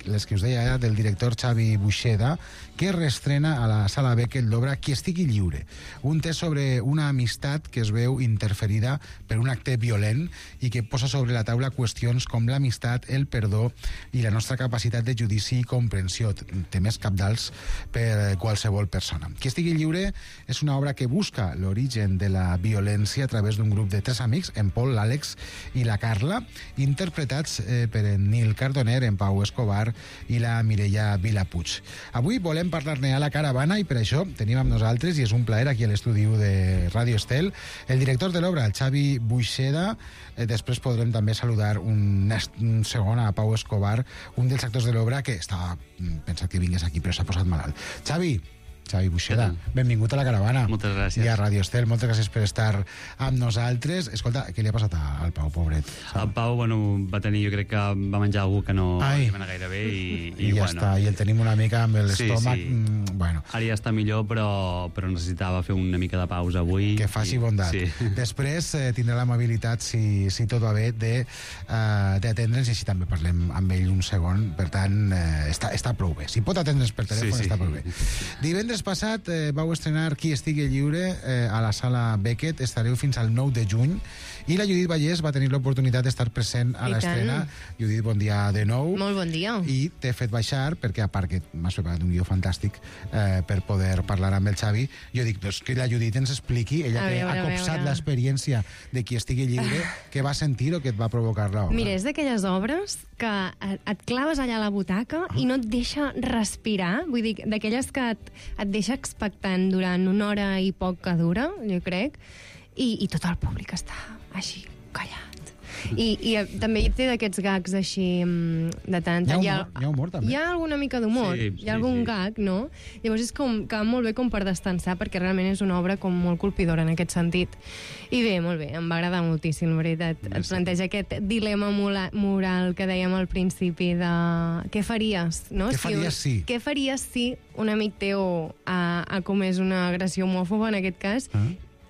les que us deia ara, del director Xavi Buixeda, que reestrena a la Sala Beckett l'obra Qui estigui lliure, un test sobre una amistat que es veu interferida per un acte violent i que posa sobre la taula qüestions com l'amistat, el perdó i la nostra capacitat de judici i comprensió, temes cabdals per qualsevol persona. Qui estigui lliure és una obra que busca l'origen de la violència a través d'un grup de 3 amics, en Pol, l'Àlex i la Carla, interpretats per en Nil Cardoner, en Pau Escobar i la Mireia Vilapuig. Avui volem parlar-ne a la Caravana i per això tenim amb nosaltres, i és un plaer aquí a l'estudi de Ràdio Estel, el director de l'obra, el Xavi Buixeda. Després podrem també saludar un segon a Pau Escobar, un dels actors de l'obra que estava pensat que vingués aquí però s'ha posat malalt. Xavi Buixeda, benvingut a la Caravana. Moltes gràcies. I a Ràdio Estel, moltes gràcies per estar amb nosaltres. Escolta, què li ha passat al Pau, pobret? El Pau, va tenir, jo crec que va menjar algú que no va anar gaire bé i ja està, i el tenim una mica amb l'estómac. Sí. Bueno. Ara ja està millor, però necessitava fer una mica de pausa avui. Que faci bondat. Sí. Després tindrà l'amabilitat, si tot va bé, d'atendre'ns, i així també parlem amb ell un segon. Per tant, està prou bé. Si pot atendre'ns per telèfon, està prou bé. Divendres passat vau estrenar Qui estigui lliure a la Sala Beckett. Estareu fins al 9 de juny i la Judit Vallès va tenir l'oportunitat d'estar present a l'estrena. Judit, bon dia de nou. Molt bon dia. I t'he fet baixar perquè, a part que m'has preparat un guió fantàstic per poder parlar amb el Xavi, jo dic que la Judit ens expliqui, ella que ha copsat l'experiència de Qui estigui lliure, què va sentir o què et va provocar l'obra. Mira, és d'aquelles obres que et claves allà a la butaca i no et deixa respirar, vull dir, d'aquelles que et deixa expectant durant una hora i poc que dura, jo crec, i tot el públic està així, callat. I també té d'aquests gags així de tant. Hi ha humor, també. Hi ha alguna mica d'humor, hi ha algun gag, no? Llavors és que va molt bé com per destensar, perquè realment és una obra com molt colpidora en aquest sentit. I bé, molt bé, em va agradar moltíssim, la veritat. Et planteja aquest dilema moral que dèiem al principi de què faries, no? Què faries si un amic teu ha comès una agressió homòfoba, en aquest cas,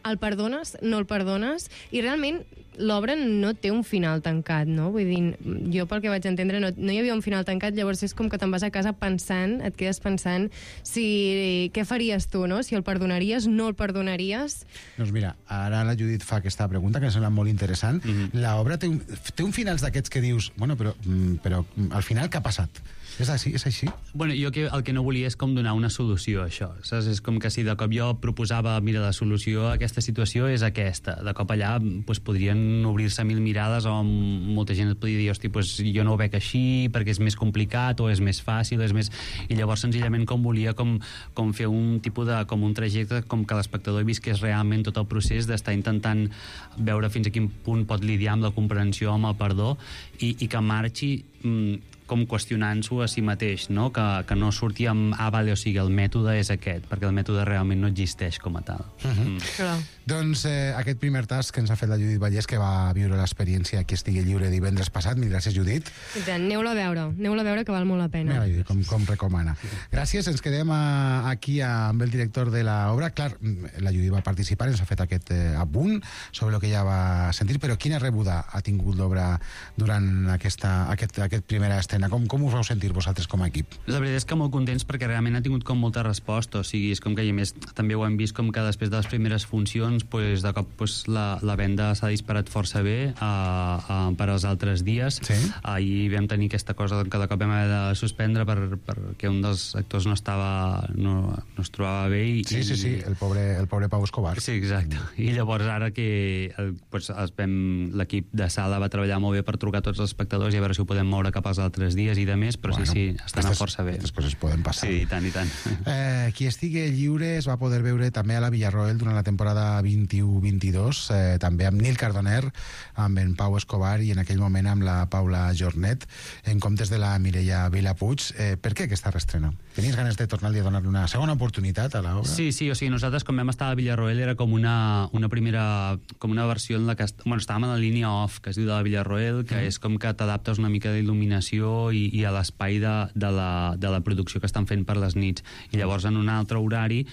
el perdones, no el perdones, i realment l'obra no té un final tancat, no? Vull dir, jo pel que vaig entendre no hi havia un final tancat, llavors és com que te'n vas a casa pensant, et quedes pensant què faries tu, no? Si el perdonaries, no el perdonaries. Doncs mira, ara la Judit fa aquesta pregunta que em sembla molt interessant. L'obra té un final d'aquests que dius, bueno, però al final què ha passat? És així? Bueno, jo el que no volia és com donar una solució a això, saps? És com que si de cop jo proposava, mira, la solució a aquesta situació és aquesta, de cop allà podrien obrir-se 1000 mirades o molta gent et podria dir, hosti, jo no ho veig així perquè és més complicat o és més fàcil, i llavors senzillament volia com fer un tipus de, com un trajecte, com que l'espectador visqués realment tot el procés d'estar intentant veure fins a quin punt pot lidiar amb la comprensió, amb el perdó, i que marxi com qüestionant-s'ho a si mateix, no? Que no surti amb vale, o sigui, el mètode és aquest, perquè el mètode realment no existeix com a tal. Doncs aquest primer tas que ens ha fet la Judit Vallès, que va viure l'experiència Qui estigui lliure divendres passat. Mil gràcies, Judit. Aneu-la a veure, que val molt la pena. Com recomana. Gràcies, ens quedem aquí amb el director de l'obra. Clar, la Judit va participar, ens ha fet aquest apunt sobre el que ja va sentir, però quina rebuda ha tingut l'obra durant aquest primera escena? Com us vau sentir vosaltres com a equip? La veritat és que molt contents perquè realment ha tingut com molta resposta, o sigui, és com que, a més, també ho hem vist com que després de les primeres funcions de cop la venda s'ha disparat força bé per als altres dies. Ahir vam tenir aquesta cosa que de cop vam haver de suspendre perquè un dels actors no es trobava bé. Sí, el pobre Pau Escobar. Sí, exacte. I llavors ara que l'equip de sala va treballar molt bé per trucar a tots els espectadors i a veure si ho podem moure cap als altres dies i de més, però sí, estan força bé. Aquestes coses poden passar. Sí, i tant. Qui estigui lliure es va poder veure també a la Villarroel durant la temporada 21-22, també amb Nil Cardoner, amb en Pau Escobar i en aquell moment amb la Paula Jornet, en comptes de la Mireia Vilapuig. Per què aquesta reestrena? Tenies ganes de tornar-li a donar-li una segona oportunitat a l'obra? Sí, o sigui, nosaltres quan vam estar a Villarroel era com una primera, com una versió en la que estàvem a la línia off, que es diu de la Villarroel, que és com que t'adaptes una mica d'il·luminació i a l'espai de la producció que estan fent per les nits, i llavors en un altre horari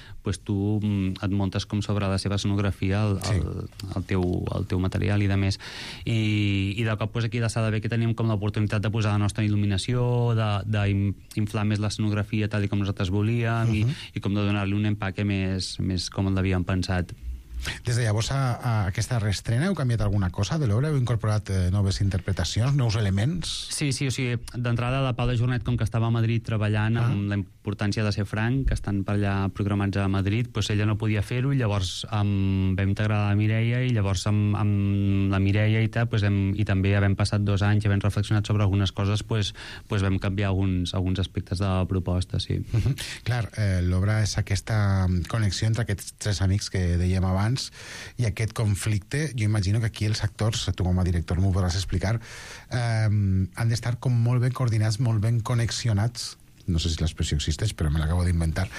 tu et muntes com sobre la seva escenografia el teu material i de més, i de cop aquí a la sala B que tenim com l'oportunitat de posar la nostra il·luminació, d'inflar més l'escenografia tal com nosaltres volíem, i com de donar-li un empaque més com l'havíem pensat. Des de llavors a aquesta reestrena heu canviat alguna cosa de l'obra? Heu incorporat noves interpretacions, nous elements? Sí, o sigui, d'entrada la Paula Jornet, com que estava a Madrid treballant amb la importància de ser franc, que estan per allà programats a Madrid, ella no podia fer-ho, i llavors vam integrar la Mireia, i llavors amb la Mireia i també havent passat 2 anys i havent reflexionat sobre algunes coses, vam canviar alguns aspectes de la proposta, sí. Clar, l'obra és aquesta connexió entre aquests 3 amics que dèiem abans, i aquest conflicte. Jo imagino que aquí els actors, tu com a director m'ho podràs explicar, han d'estar com molt ben coordinats, molt ben connexionats, no sé si l'expressió existeix, però me l'acabo d'inventar,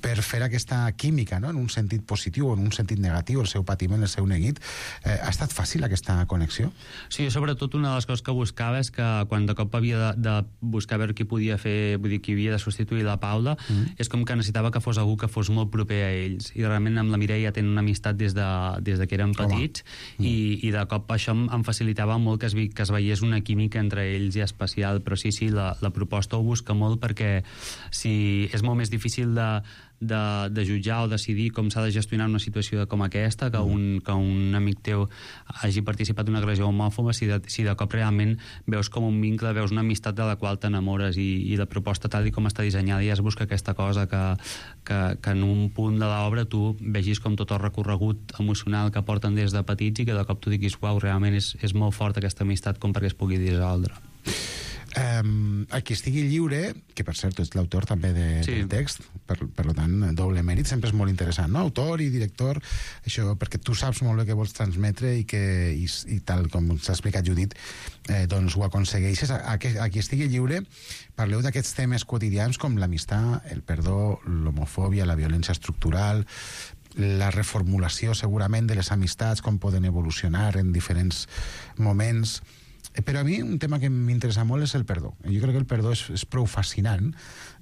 per fer aquesta química, no? En un sentit positiu o en un sentit negatiu, el seu patiment, el seu neguit. Ha estat fàcil aquesta connexió? Sí, sobretot una de les coses que buscava és que quan de cop havia de buscar veure qui podia fer, vull dir, qui havia de substituir la Paula, és com que necessitava que fos algú que fos molt proper a ells, i realment amb la Mireia tenen una amistat des de que eren petits, i de cop això em facilitava molt que es veiés una química entre ells i especial, però sí, la proposta ho busca molt perquè és molt més difícil de jutjar o decidir com s'ha de gestionar una situació com aquesta, que un amic teu hagi participat d'una agressió homòfoba, si de cop realment veus com un vincle, veus una amistat de la qual t'enamores, i la proposta tal com està dissenyada ja es busca aquesta cosa que en un punt de l'obra tu vegis com tot el recorregut emocional que porten des de petits i que de cop tu diguis, uau, realment és molt fort aquesta amistat com perquè es pugui dissoldre. Qui estigui lliure, que per cert és l'autor també del text, per tant doble mèrit, sempre és molt interessant, no? Autor i director, això perquè tu saps molt bé què vols transmetre i tal com s'ha explicat Judit, doncs ho aconsegueixes. A qui estigui lliure parleu d'aquests temes quotidians com l'amistat, el perdó, l'homofòbia, la violència estructural, la reformulació segurament de les amistats, com poden evolucionar en diferents moments. Però a mi un tema que m'interessa molt és el perdó. Jo crec que el perdó és prou fascinant,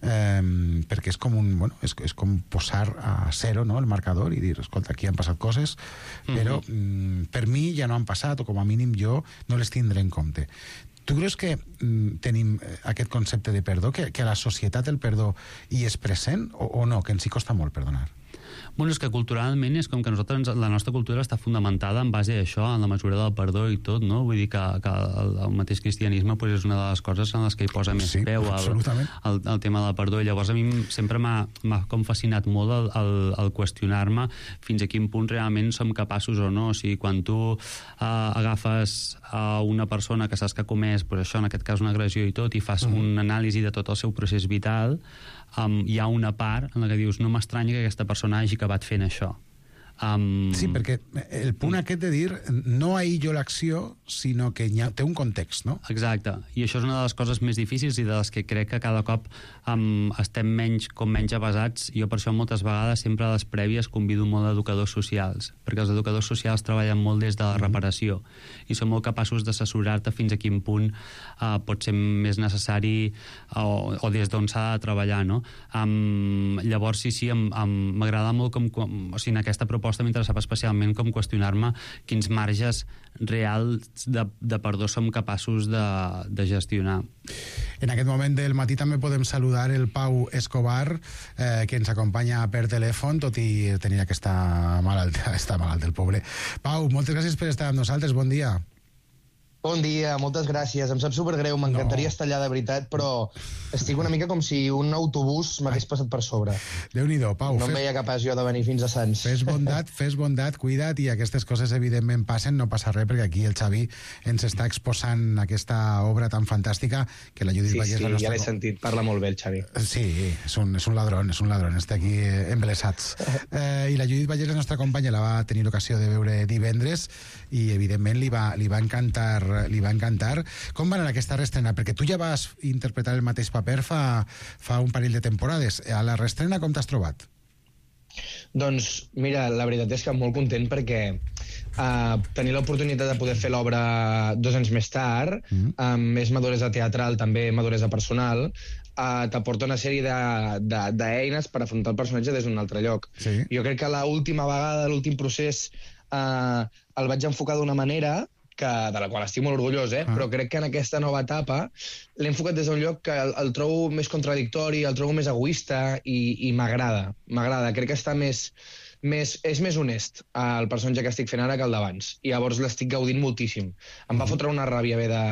perquè és com és com posar a zero, no, el marcador i dir, escolta, aquí han passat coses, però per mi ja no han passat, o com a mínim jo no les tindré en compte. Tu creus que tenim aquest concepte de perdó, que a la societat el perdó hi és present o no, que ens hi costa molt perdonar? Bueno, és que culturalment és com que la nostra cultura està fundamentada en base a això, en la mesura del perdó i tot, no? Vull dir que el mateix cristianisme pues, és una de les coses en les que hi posa més peu el tema del perdó. I llavors a mi sempre m'ha com fascinat molt el qüestionar-me fins a quin punt realment som capaços o no. O sigui, quan tu agafes a una persona que saps que ha comès, pues, això, en aquest cas una agressió i tot, i fas un anàlisi de tot el seu procés vital, hi ha una part en la que dius, no m'estranya que aquesta persona hagi acabat fent això. Sí, perquè el punt aquest de dir no aïllo l'acció, sinó que té un context, no? Exacte, i això és una de les coses més difícils i de les que crec que cada cop estem menys avasats. Jo per això moltes vegades sempre a les prèvies convido molt educadors socials, perquè els educadors socials treballen molt des de la reparació i són molt capaços d'assessorar-te fins a quin punt pot ser més necessari o des d'on s'ha de treballar, no? Llavors sí, m'agrada molt o sigui, en aquesta proposta m'interessava especialment com qüestionar-me quins marges reals de perdó som capaços de gestionar. En aquest moment del matí també podem saludar el Pau Escobar, que ens acompanya per telèfon, tot i tenir aquesta malaltia, està malalt el pobre. Pau, moltes gràcies per estar amb nosaltres, bon dia. Bon dia, moltes gràcies. Em sap supergreu, m'encantaria estar allà de veritat, però estic una mica com si un autobús m'hagués passat per sobre. Déu-n'hi-do, Pau. No em veia capaç jo de venir fins a Sants. Fes bondat, cuida't, i aquestes coses evidentment passen, no passa res, perquè aquí el Xavi ens està exposant aquesta obra tan fantàstica que la Judit Vallès... Sí, ja l'he sentit, parla molt bé el Xavi. Sí, és un ladrón, està aquí embelesats. I la Judit Vallès, la nostra companya, la va tenir l'ocasió de veure divendres i evidentment li va encantar. Com va anar aquesta reestrena? Perquè tu ja vas interpretar el mateix paper fa un parell de temporades. A la reestrena com t'has trobat? Doncs, mira, la veritat és que molt content perquè tenir l'oportunitat de poder fer l'obra 2 anys més tard, amb més maduresa teatral, també maduresa personal, t'aporta una sèrie d'eines per afrontar el personatge des d'un altre lloc. Sí. Jo crec que l'última vegada, l'últim procés, el vaig enfocar d'una manera de la qual estic molt orgullós, però crec que en aquesta nova etapa l'he enfocat des d'un lloc que el trobo més contradictori, el trobo més egoista i m'agrada. Crec que està és més honest el personatge que estic fent ara que el d'abans. I llavors l'estic gaudint moltíssim. Em va fotre una ràbia haver de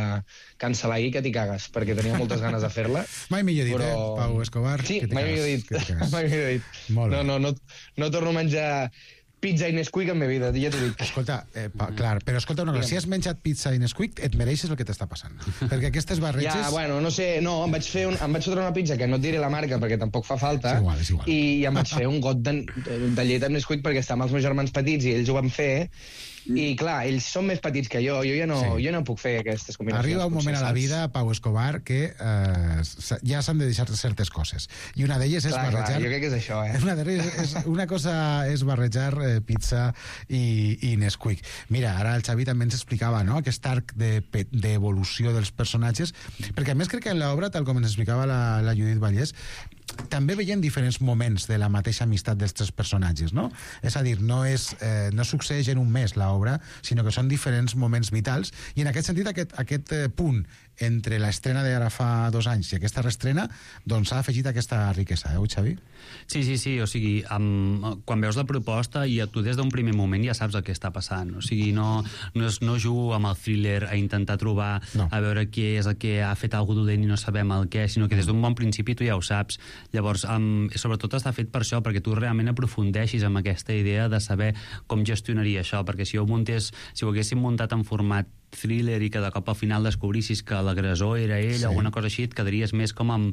cancel·lar ahir que t'hi cagues, perquè tenia moltes ganes de fer-la. Mai millor dit, Pau Escobar? Sí, mai millor dit. No torno a menjar pizza i Nesquik en la vida, ja t'ho dic. Escolta, clar, però escolta una cosa, si has menjat pizza i Nesquik, et mereixes el que t'està passant. Perquè aquestes barreges... Ja, bueno, no sé, em vaig fotre una pizza, que no et diré la marca perquè tampoc fa falta, és igual. I em vaig fer un got de llet amb Nesquik perquè estava amb els meus germans petits i ells ho van fer, i clar, ells són més petits que jo ja no puc fer aquestes combinacions. Arriba un moment a la vida, Pau Escobar, que ja s'han de deixar certes coses. I una d'elles és barrejar... Jo crec que és això, Una cosa és barrejar pizza i Nesquik. Mira, ara el Xavi també ens explicava, no?, aquest arc d'evolució dels personatges, perquè a més crec que en l'obra, tal com ens explicava la Judit Vallès, també veiem diferents moments de la mateixa amistat dels 3 personatges, no? És a dir, no succeeix en un mes l'obra, sinó que són diferents moments vitals, i en aquest sentit aquest punt entre l'estrena d'ara fa 2 anys i aquesta reestrena, doncs s'ha afegit aquesta riquesa, Xavi? Sí, o sigui, quan veus la proposta i tu des d'un primer moment ja saps el que està passant, o sigui, no jugo amb el thriller a intentar trobar, a veure què és el que ha fet algú dolent i no sabem el què, sinó que des d'un bon principi tu ja ho saps. Llavors, sobretot està fet per això, perquè tu realment aprofundeixis amb aquesta idea de saber com gestionaria això, perquè si ho haguéssim muntat en format thriller i que de cop al final descobrissis que l'agressor era ell o alguna cosa així, et quedaries més com amb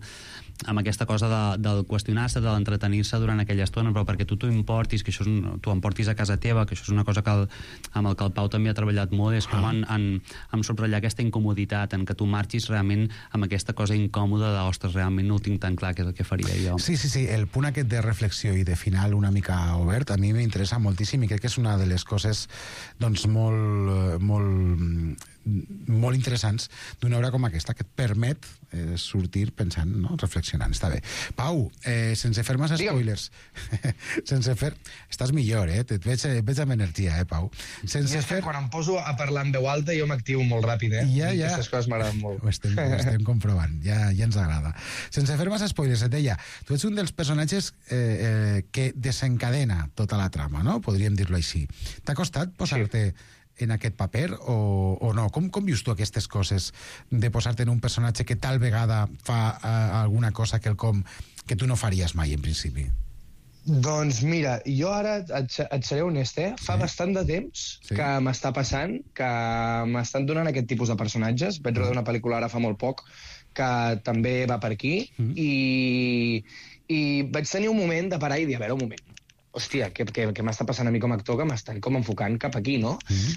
aquesta cosa del qüestionar-se, de l'entretenir-se durant aquella estona, però perquè tu t'ho importis, que t'ho emportis a casa teva, que això és una cosa amb el que el Pau també ha treballat molt, és com en subratllar aquesta incomoditat, en que tu marxis realment amb aquesta cosa incòmoda de, ostres, realment no ho tinc tan clar, que és el que faria jo. Sí, el punt aquest de reflexió i de final una mica obert, a mi m'interessa moltíssim i crec que és una de les coses doncs molt molt interessants d'una obra com aquesta, que et permet sortir pensant, no? Reflexionant. Està bé. Pau, sense fer massa spoilers, sense fer... Estàs millor, et veig amb energia, Pau. Sense fer... Quan em poso a parlar en veu alta jo m'activo molt ràpid, Ja. Aquestes coses m'agraden molt. Ho estem comprovant, ja ens agrada. Sense fer massa spoilers, et deia, tu ets un dels personatges que desencadena tota la trama, no? Podríem dir-lo així. T'ha costat posar-te en aquest paper o no? Com vius tu aquestes coses de posar-te en un personatge que tal vegada fa alguna cosa que tu no faries mai, en principi? Doncs mira, jo ara et seré honest, fa bastant de temps que m'està passant, que m'estan donant aquest tipus de personatges. Vaig rodar una pel·lícula ara fa molt poc que també va per aquí i vaig tenir un moment de parar i dir, a veure, un moment, hòstia, què m'està passant a mi com a actor, que m'estan com enfocant cap aquí, no?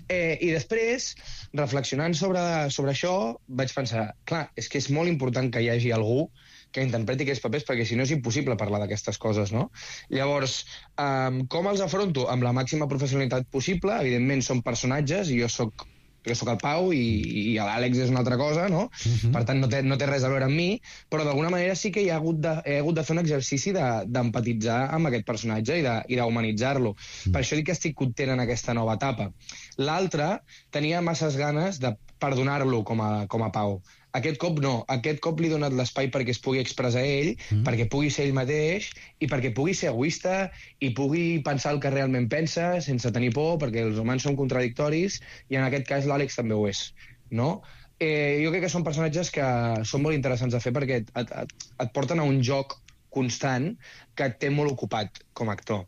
I després, reflexionant sobre això, vaig pensar, clar, és que és molt important que hi hagi algú que interpreti aquests papers, perquè si no és impossible parlar d'aquestes coses, no? Llavors, com els afronto? Amb la màxima professionalitat possible. Evidentment, són personatges, i jo sóc el Pau i l'Àlex és una altra cosa, no? Per tant, no té res a veure amb mi, però d'alguna manera sí que he hagut de fer un exercici d'empatitzar amb aquest personatge i d'humanitzar-lo. Per això dic que estic content en aquesta nova etapa. L'altre, tenia masses ganes de perdonar-lo com a Pau. Aquest cop no. Aquest cop li he donat l'espai perquè es pugui expressar ell, perquè pugui ser ell mateix i perquè pugui ser egoista i pugui pensar el que realment pensa sense tenir por, perquè els humans són contradictoris i en aquest cas l'Àlex també ho és, no? Jo crec que són personatges que són molt interessants de fer perquè et porten a un joc constant que et té molt ocupat com a actor.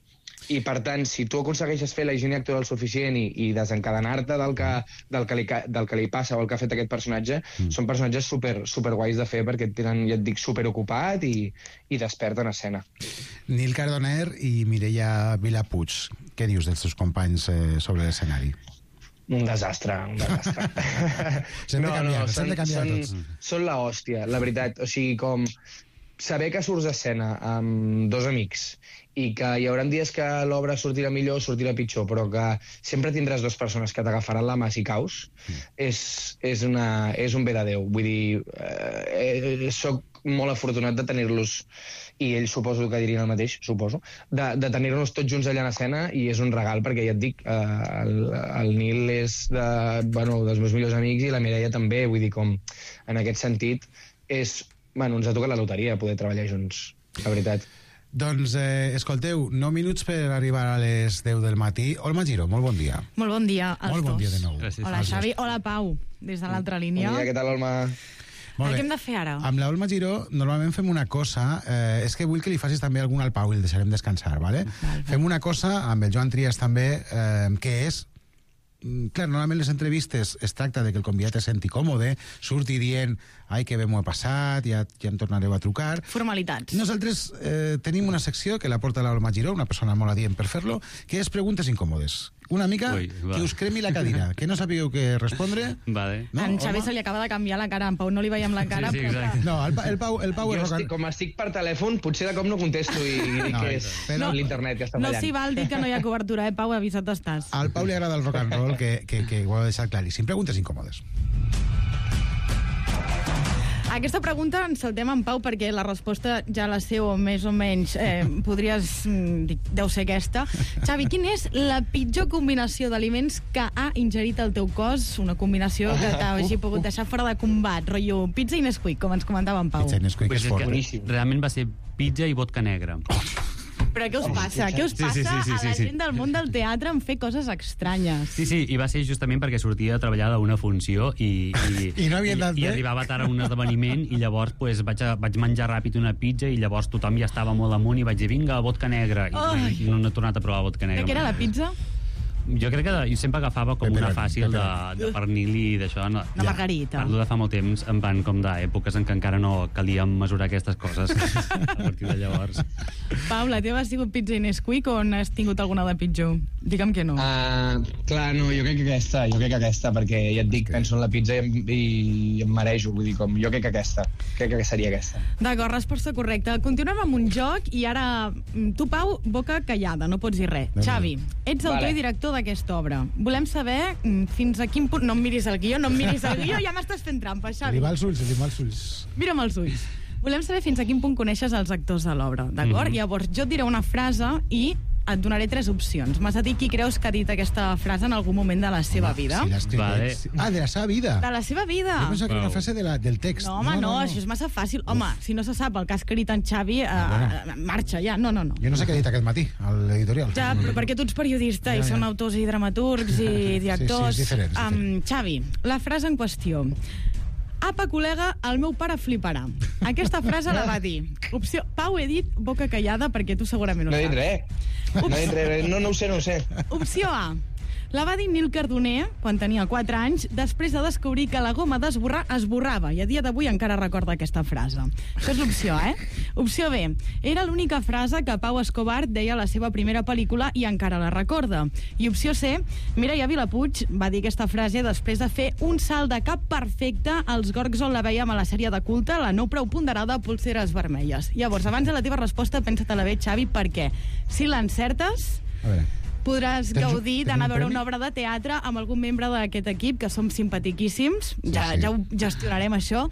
I, per tant, si tu aconsegueixes fer la higiene actoral suficient i desencadenar-te del que li passa o el que ha fet aquest personatge, són personatges super guais de fer perquè et tenen, ja et dic, super ocupat i despert en escena. Nil Cardoner i Mireia Vilapuig, què dius dels teus companys sobre l'escenari? Un desastre. S'han de canviar tots. Són la hòstia, la veritat. O sigui, com saber que surts d'escena amb dos amics i que hi haurà dies que l'obra sortirà millor o sortirà pitjor, però que sempre tindràs dues persones que t'agafaran la mà si caus, és un bé de Déu. Vull dir, soc molt afortunat de tenir-los, i ells suposo que dirien el mateix, suposo, de tenir-nos tots junts allà en escena, i és un regal, perquè ja et dic, el Nil és dels meus millors amics i la Mireia també, vull dir, com en aquest sentit, ens ha tocat la loteria poder treballar junts, la veritat. Doncs, escolteu, 9 minuts per arribar a les 10 del matí. Olma Giró, molt bon dia. Molt bon dia als dos. Molt bon dia de nou. Gràcies. Hola, Xavi. Hola, Pau, des de l'altra línia. Bon dia, què tal, Olma? Què hem de fer ara? Amb l'Olma Giró normalment fem una cosa, és que vull que li facis també alguna al Pau i el deixarem descansar, ¿vale? Fem una cosa amb el Joan Trias també, que és, clar, normalment les entrevistes es tracta de que el convidat es senti còmode, surti dient, ai, que bé m'ho he passat, ja em tornareu a trucar. Formalitats. Nosaltres tenim una secció que la porta l'Olma Giró, una persona molt adient per fer-lo, que és preguntes incòmodes. Una mica que us cremi la cadira, que no sabíeu què respondre. Vale. No, en Xavi se li acaba de canviar la cara, en Pau no li veiem la cara. Sí, exacte. No, el Pau és rock. Com estic per telèfon, potser de cop no contesto i dic que és l'internet que està fallant. No s'hi val dir que no hi ha cobertura, Pau, avisat estàs. Al Pau li agrada el rock and roll, que ho ha deixat claríssim. Preguntes incòmodes. Aquesta pregunta ens saltem en Pau perquè la resposta ja la sé o més o menys podries dir, deu ser aquesta. Xavi, quina és la pitjor combinació d'aliments que ha ingerit el teu cos? Una combinació que t'hagi pogut deixar fora de combat, rotllo pizza i Nesquik, com ens comentava en Pau. Pizza i Nesquik és fort. Realment va ser pizza i vodka negra. Però què us passa? Què us passa a la gent del món del teatre en fer coses estranyes? Sí, i va ser justament perquè sortia a treballar d'una funció i no havia anat bé. I arribava tard a un esdeveniment i llavors pues, vaig menjar ràpid una pizza i llavors tothom ja estava molt amunt i vaig dir, vinga, vodka negra. I no he tornat a provar vodka negra. De què era la pizza? Jo crec que jo sempre agafava com una fàcil de pernil i d'això. Una margarita. Parlo de fa molt temps, en van com d'èpoques en què encara no calia mesurar aquestes coses a partir de llavors. Pau, la teva ha sigut pizza i Nesquik o n'has tingut alguna de pitjor? Digue'm que no. Clar, no, jo crec que aquesta, perquè ja et dic, penso en la pizza i em marejo, vull dir, com jo crec que seria aquesta. D'acord, resposta correcta. Continuem amb un joc i ara tu, Pau, boca callada, no pots dir res. Xavi, ets autor i director d'aquesta obra. Volem saber fins a quin punt... No em miris el guió, ja m'estàs fent trampa, Xavi. Li va els ulls. Mira'm els ulls. Volem saber fins a quin punt coneixes els actors de l'obra, d'acord? Llavors, jo et diré una frase i et donaré 3 opcions. M'has de dir qui creus que ha dit aquesta frase en algun moment de la seva vida. Si l'ha escrit de la seva vida. De la seva vida. Jo pensava que era una frase del text. No, home, no, això és massa fàcil. Home, si no se sap el que ha escrit en Xavi, marxa ja. No. Jo no sé què ha dit aquest matí, a l'editorial. Ja, però perquè tu ets periodista i són autors i dramaturgs i directors. Sí, és diferent. Xavi, la frase en qüestió. Apa, col·lega, el meu pare fliparà. Aquesta frase la va dir. Opció... Pau, he dit boca callada perquè tu segurament ho saps. No he dit res. No ho sé. Opció A. La va dir Nil Cardoner quan tenia 4 anys, després de descobrir que la goma d'esborrar esborrava, i a dia d'avui encara recorda aquesta frase. Això és l'opció A, Opció B. Era l'única frase que Pau Escobar deia a la seva primera pel·lícula i encara la recorda. I opció C. Mireia Vilapuig va dir aquesta frase després de fer un salt de cap perfecte als gorgs on la vèiem a la sèrie de culte, la no prou ponderada Polseres vermelles. Llavors, abans de la teva resposta, pensa-te-la bé, Xavi, perquè si l'encertes... A veure... podràs gaudir d'anar a veure una obra de teatre amb algun membre d'aquest equip, que som simpatiquíssims, ja ho gestionarem això.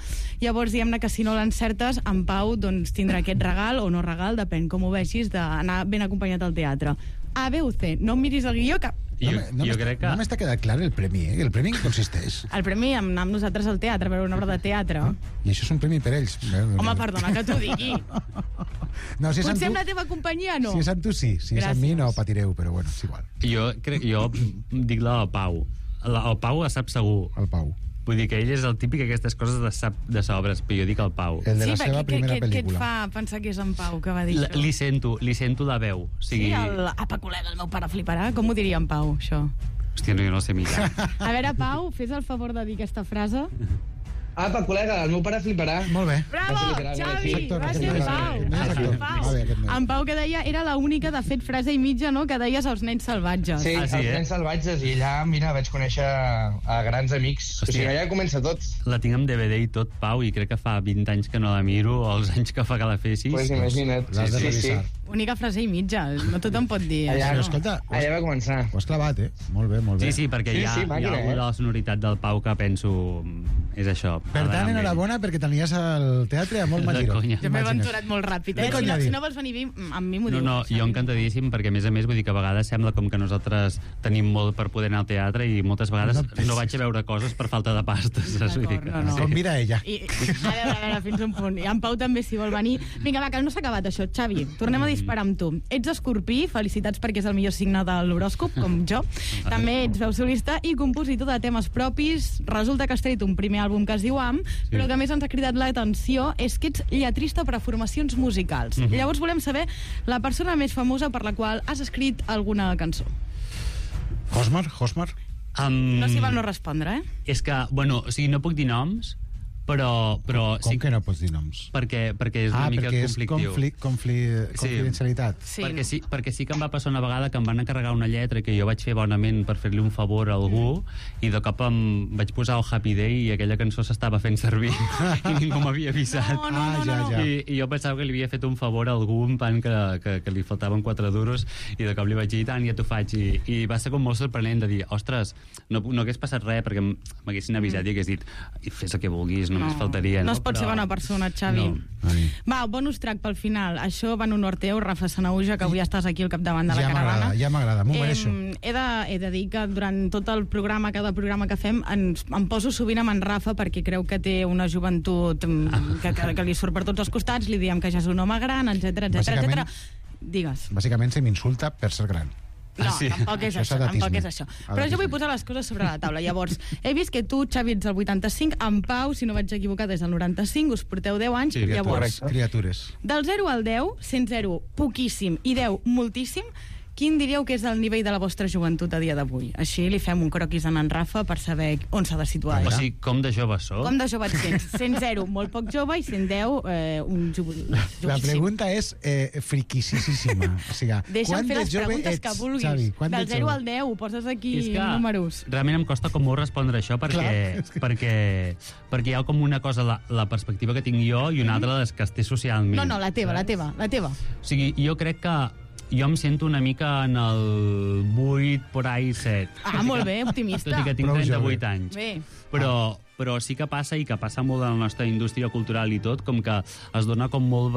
Llavors, diguem-ne que si no l'encertes, en Pau tindrà aquest regal, o no regal, depèn com ho vegis, d'anar ben acompanyat al teatre. A, B o C. No em miris el guió, que... Jo crec que... No m'està quedat clar el premi, El premi en què consisteix? El premi anar amb nosaltres al teatre, a veure una obra de teatre. I això és un premi per ells. Home, perdona que t'ho digui. No, si potser amb la teva companyia, no. Si és amb tu, sí. Si és amb mi, no patireu, però bueno, és igual. Jo dic la del Pau. El Pau la sap segur. El Pau. Vull dir que ell és el típic aquestes coses de sobres, però jo dic el Pau. El de la seva primera pel·lícula. Què et fa pensar que és en Pau que va dir això? Li sento la veu. Sí, apa, col·lega, el meu pare fliparà. Com ho diria en Pau, això? Hòstia, no, jo no sé mirar. A veure, Pau, fes el favor de dir aquesta frase. Apa, col·lega, el meu pare fliparà. Molt bé. Bravo, Xavi! Va ser en Pau. En Pau, que deia, era l'única, de fet, frase i mitja, no?, que deies als nens salvatges. Sí, els nens salvatges, i allà, mira, vaig conèixer a grans amics. O sigui, allà comença tot. La tinc amb DVD i tot, Pau, i crec que fa 20 anys que no la miro, o els anys que fa que la fessis. Pues imagina't. L'has de revisar. Única frase i mitja, no tothom pot dir allà, això. Escolta, allà va començar. Ho has clavat, Molt bé. Sí, perquè hi ha alguna de la sonoritat del Pau que penso és això. Per tant, enhorabona, perquè t'anies al teatre a molt magiro. Jo m'he aventurat molt ràpid, Si no vols venir amb mi, m'ho dius. No, jo encantadíssim, perquè a més vull dir que a vegades sembla com que nosaltres tenim molt per poder anar al teatre i moltes vegades no vaig a veure coses per falta de pasta. Convida ella. A veure, fins un punt. I en Pau també, si vol venir. Vinga, va, que no s'ha acabat això. Xavi, tornem a disparar amb tu. Ets escorpí, felicitats perquè és el millor signe de l'horòscop, com jo. També ets veu solista i compositor de temes propis. Resulta que has tret un primer àlbum que es diu Am, però que més ens ha cridat l'atenció és que ets lletrista per a formacions musicals. Llavors volem saber la persona més famosa per la qual has escrit alguna cançó. Hosmar? No s'hi val no respondre, És que, bueno, o sigui, no puc dir noms, però com que no pots dir noms? Perquè és una mica conflictiu. Confidencialitat. Perquè sí que em va passar una vegada que em van encarregar una lletra que jo vaig fer bonament per fer-li un favor a algú i de cop em vaig posar el Happy Day i aquella cançó s'estava fent servir i ningú m'havia avisat. No. I jo pensava que li havia fet un favor a algú, un pan que li faltaven 4 duros i de cop li vaig dir, tant, ja t'ho faig. I va ser com molt sorprenent de dir, ostres, no hagués passat res perquè m'haguessin avisat i hagués dit, fes el que vulguis, només faltaria. No es pot ser bona persona, Xavi. Va, bonus track pel final. Això va en honor teu, Rafa Sanauja, que avui estàs aquí al capdavant de la caravana. Ja m'agrada, m'ho mereixo. He de dir que durant tot el programa, cada programa que fem, em poso sovint amb en Rafa perquè creu que té una joventut que li surt per tots els costats, li diem que ja és un home gran, etc. Digues. Bàsicament se m'insulta per ser gran. No, tampoc és això. Però jo vull posar les coses sobre la taula. Llavors, he vist que tu, Xavi, ets del 85, en Pau, si no vaig equivocar, des del 95, us porteu 10 anys. Sí, llavors, criatures. Del 0 al 10, sent 0 poquíssim i 10 moltíssim, quin diríeu que és el nivell de la vostra joventut a dia d'avui? Així li fem un croquis a en Rafa per saber on s'ha de situar. O sigui, com de jove sóc? Com de jove et sents? 100, molt poc jove, i 110, un jovíssim. La pregunta és friquisíssima. O sigui, deixa'm fer les preguntes que vulguis. Xavi, del 0 al 10, ho poses aquí números. Realment em costa com molt respondre això perquè hi ha com una cosa, la perspectiva que tinc jo, i una altra les que es té socialment. No, la teva. O sigui, jo crec que Jo em sento una mica en el 8, por ahí 7. Ah, molt bé, optimista. Tot i que tinc 38 anys. Bé. Però sí que passa, i que passa molt en la nostra indústria cultural i tot, com que es dona com molt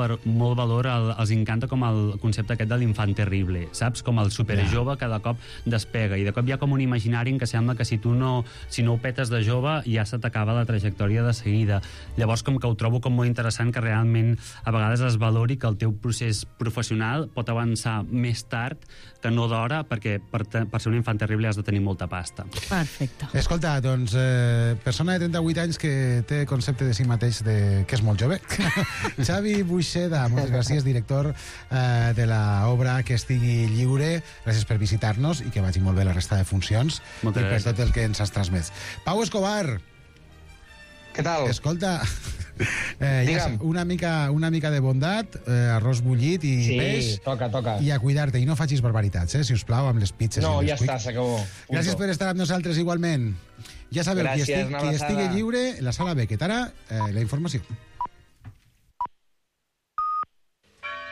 valor, els encanta com el concepte aquest de l'infant terrible, saps? Com el superjove cada cop despega, i de cop hi ha com un imaginari en què sembla que si no ho petes de jove ja se t'acaba la trajectòria de seguida. Llavors com que ho trobo com molt interessant que realment a vegades es valori que el teu procés professional pot avançar més tard que no d'hora, perquè per ser un infant terrible has de tenir molta pasta. Perfecte. Escolta, doncs, persona de 38 anys que té concepte de si mateix que és molt jove. Xavi Buixeda, moltes gràcies, director de l'obra Que estigui lliure. Gràcies per visitar-nos i que vagi molt bé la resta de funcions Moltes i per gràcies. tot el que ens has transmès. Pau Escobar. Què tal? Escolta, ja, una mica de bondat, arròs bullit i peix. Sí, toca. I a cuidar-te, i no facis barbaritats, si us plau, amb les pizzas. No, i ja està, s'acabó. Gràcies per estar amb nosaltres igualment. Ja sabeu, Gràcies, qui estigui lliure, la sala Beckett. Ara, la informació.